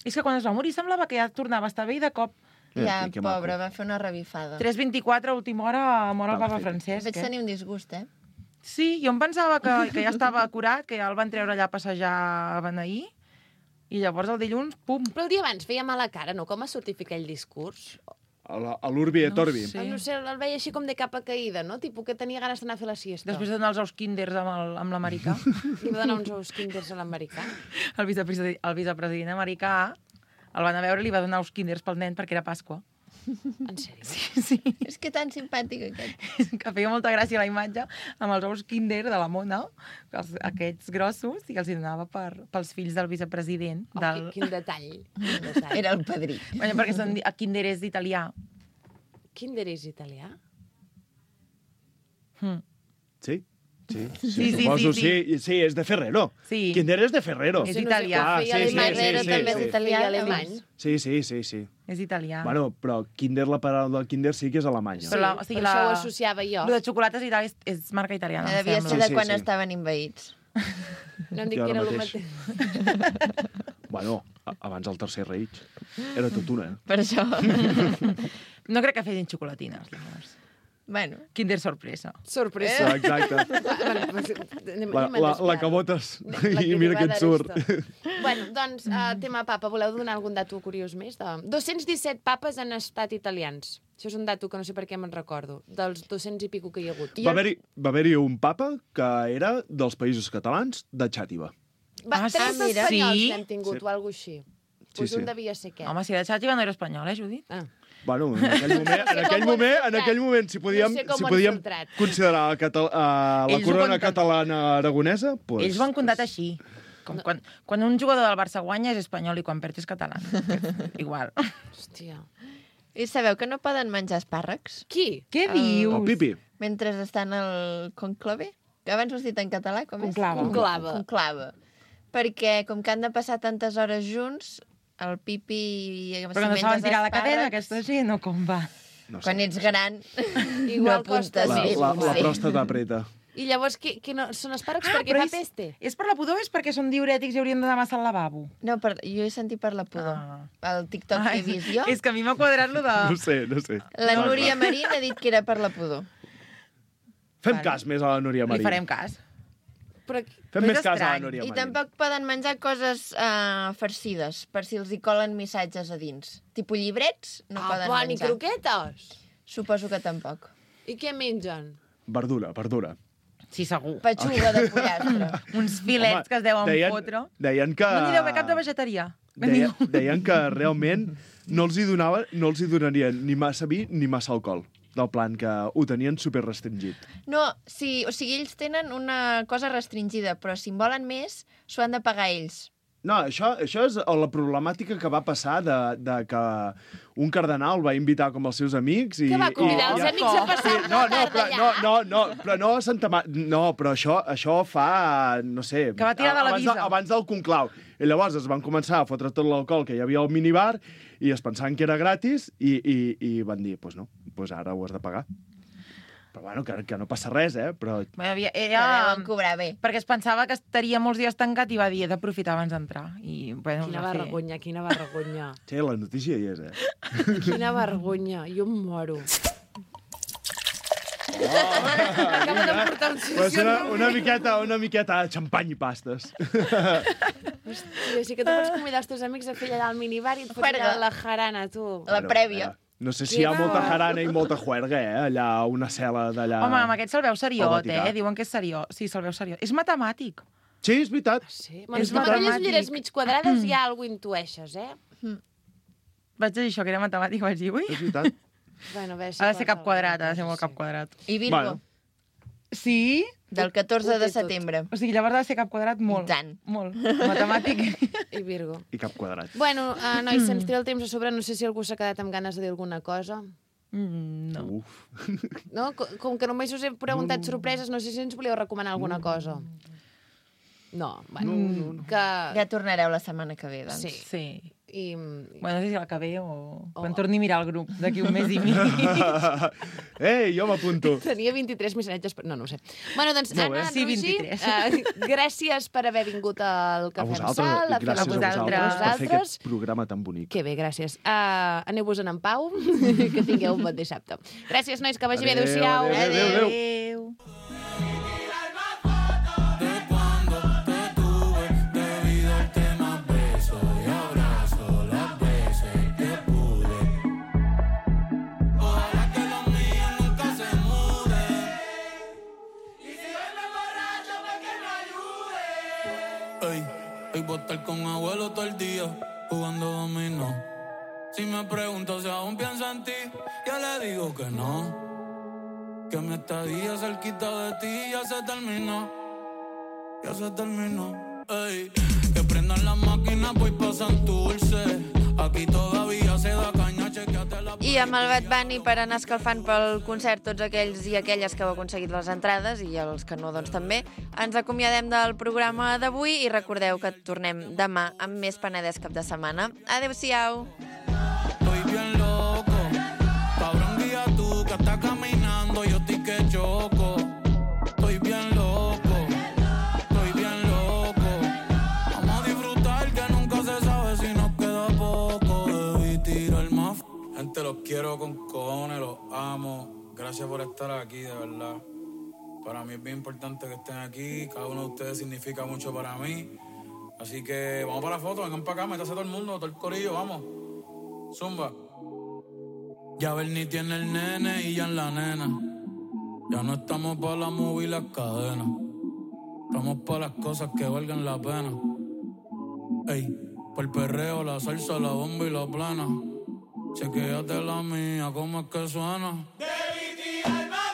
És que quan es va morir semblava que ja tornava a estar bé i de cop Ja, que pobre, maco. va fer una revifada. 3:24 a última hora mor el Va, papa perfecte. Francesc. Vaig tenir un disgust, eh? Sí, jo em pensava que ja estava curat, que ja el van treure allà a passejar a Beneir, i llavors el dilluns, pum. Però el dia abans feia mala cara, no? Com ha sortit fer aquell discurs? A l'Urbi et Orbi. sé. No sé, el veia així com de capa caïda, no? Tipus que tenia ganes d'anar a fer la siesta. Després de donar els ous kinders amb l'americà, Li va donar uns ous kinders a l'americà. el vicepresident americà el van a veure i li va donar ous kinders pel nen perquè era Pasqua. En sèrio? Sí, És que tan simpàtic aquest. que feia molta gràcia la imatge amb els ous kinder de la mona, aquests grossos, i que els hi donava pels fills del vicepresident. Oh, Del... quin detall. Quin detall. Era el padrí. Bueno, perquè kinder és italià. Kinder és italià? Sí? Sí, Sí, suposo, sí. sí, és de Ferrero. Sí. Kinder és de Ferrero. És Sí, no sé italià. com feia Ah, sí, alemany, sí, Herrero sí, també sí. és italià, alemany. Sí. És italià. Bueno, però Kinder, la paraula del Kinder sí que és alemanya. Però o sigui, per això ho associava jo. Lo de xocolates i tal és marca italiana, em Devia sembla. ser de Sí, quan sí. estaven invaïts. No em dic Jo que era ara el mateix. mateix. Bueno, abans del Tercer Reich. Era tot una, eh? Per això. No crec que fessin xocolatines, llavors. Bueno, Kinder sorpresa. Sorpresa. Exacte. La que votes i mira què et surt. Bueno, doncs, tema papa, voleu donar algun dato curiós més? 217 papes han estat italians. Això és un dato que no sé per què me'n recordo. Dels 200 i pico que hi ha hagut. Va haver-hi un papa que era dels països catalans de Xàtiva. Va, tres mira. espanyols Sí? n'hem tingut, Sí. o alguna cosa així. Sí, Pues sí. un devia ser aquest. Home, si era de Xàtiva no era espanyol, Judit? Ah. Bueno, en aquell moment, si podíem, No sé com si ho han podíem filtrat. considerar la Ells ho corona conten- catalana aragonesa, pues, Ells ho han contat així. Com quan un jugador del Barça guanya és espanyol i quan perd és català. Igual. Hòstia. I sabeu que no poden menjar espàrrecs? Qui? Què dius? El Pipi. Mentre estan al conclave? Que abans ho has dit en català, com és? Conclave. Conclave. Perquè com que han de passar tantes hores junts, el Pipi... Però que no saben tirar la cadena, aquesta gent, o com va? No sé. Quan ets gran, Igual no apuntes. La pròstata apreta. I llavors, no, són espàrrecs perquè però fa peste? És per la pudor o és perquè són diurètics i haurien d'anar massa al lavabo? No, jo he sentit per la pudor. El TikTok que he vist jo. És que a mi m'ha quadrat lo de... No sé. La Núria Marín ha dit que era per la pudor. Fem cas més a la Núria Marín. Li farem cas. Però... Fem més cas a la estrany. Núria I Marín. tampoc poden menjar coses farcides, per si els hi colen missatges a dins. Tipo llibrets, no poden ni menjar. croquetes. Suposo que tampoc. I què mengen? Verdura. Sí, segur. Petxuga de pollastre. Uns filets que es deuen fotre. Deien que... No n'hi deu haver cap de vegetarià. Deien que realment no els hi donarien ni massa vi ni massa alcohol. Del plan que ho tenien super restringit. No, sí, o sigui, ells tenen una cosa restringida, però si en volen més, s'ho han de pagar ells. No, això és la problemàtica que va passar de que un cardenal va invitar com els seus amics i... Que va convidar els amics a passar una tarda allà? Però a Santa No, però això fa, no sé... Que va tirar de la visa. Abans del conclau. I llavors es van començar a fotre tot l'alcohol que hi havia al minibar i es pensaven que era gratis i van dir, pues no, pues ara ho has de pagar. Però bueno, que no passa res, però... Era... deuen cobrar bé. Perquè es pensava que estaria molts dies tancat i va dir, he d'aprofitar abans d'entrar. I, bueno, Quina vergonya. Sí, la notícia hi és, Quina vergonya, jo em moro. Acaba de portar un Pues una miqueta de xampany i pastes. Hòstia, sí que tu pots convidar els teus amics a fer allà al minibar i et fots allà la jarana, tu. La prèvia. No sé si hi ha molta jarana i molta juerga, allà, una cel·la d'allà... Home, amb aquest se'l veu seriot, Vaticà. Diuen que és seriós. Sí, se'l veu seriós. És matemàtic. Sí, és veritat. Sí, És amb aquelles matemàtic. ulleres mig quadrades ja alguna intueixes, Vaig dir això, que era matemàtic, vaig dir, ui. És veritat. Bueno, bé, Ha de ser cap quadrat, ha de ser molt cap quadrat. I Virgo, Bueno. Sí? del 14 Ho té de tot. setembre. O sigui, llavors ha de ser cap quadrat molt. I tant. Molt. Matemàtic. I Virgo. I cap quadrat. Bueno, nois, se'ns tira el temps a sobre. No sé si algú s'ha quedat amb ganes de dir alguna cosa. No. Uf. No? Com que només us he preguntat sorpreses, no sé si ens volíeu recomanar alguna cosa. No, bueno. No. Que... Ja tornareu la setmana que ve, doncs. Sí. Sí. I... Bueno, no sé si la que ve o... Quan torni a mirar el grup d'aquí un mes i mig. Ei, jo m'apunto. Tenia 23 missatges, però no ho sé. Bueno, doncs, Molt bé. Anna, Sí, Roger, 23. Gràcies per haver vingut al A Cafè amb vosaltres, Sal. i gràcies a vosaltres per fer aquest programa tan bonic. Que bé, gràcies. Aneu-vos-en en pau, que tingueu un bon dissabte. Gràcies, nois, que vagi bé. Adéu-siau. Adéu. Hoy voy a estar con abuelo todo el día, jugando dominó. Si me pregunto si aún pienso en ti, ya le digo que no. Que mi estadía cerquita de ti ya se terminó. Ya se terminó. Ey, que prendan las máquinas, voy pa' Santurce. Aquí todavía se da caña, chequeate la... I amb el Bad Bunny per anar escalfant pel concert tots aquells i aquelles que heu aconseguit les entrades i els que no, doncs també, ens acomiadem del programa d'avui i recordeu que tornem demà amb més Penedès cap de setmana. Adéu-siau! Estoy bien loco, cabrón, guía tú que estás caminando, yo estoy que choco. Estoy bien loco, estoy bien loco. Vamos a disfrutar que nunca se sabe si nos queda poco. Debí tirar más. Gente, los quiero con cojones, los amo. Gracias por estar aquí, de verdad. Para mí es bien importante que estén aquí. Cada uno de ustedes significa mucho para mí. Así que vamos para la foto, vengan para acá, métase todo el mundo, todo el corillo, vamos. Zumba. Ya Bernie tiene el nene y ya en la nena. Ya no estamos para la movie y las cadenas. Estamos para las cosas que valgan la pena. Ey, por el perreo, la salsa, la bomba y la plana. Chequéate la mía, cómo es que suena. Debí tirar más.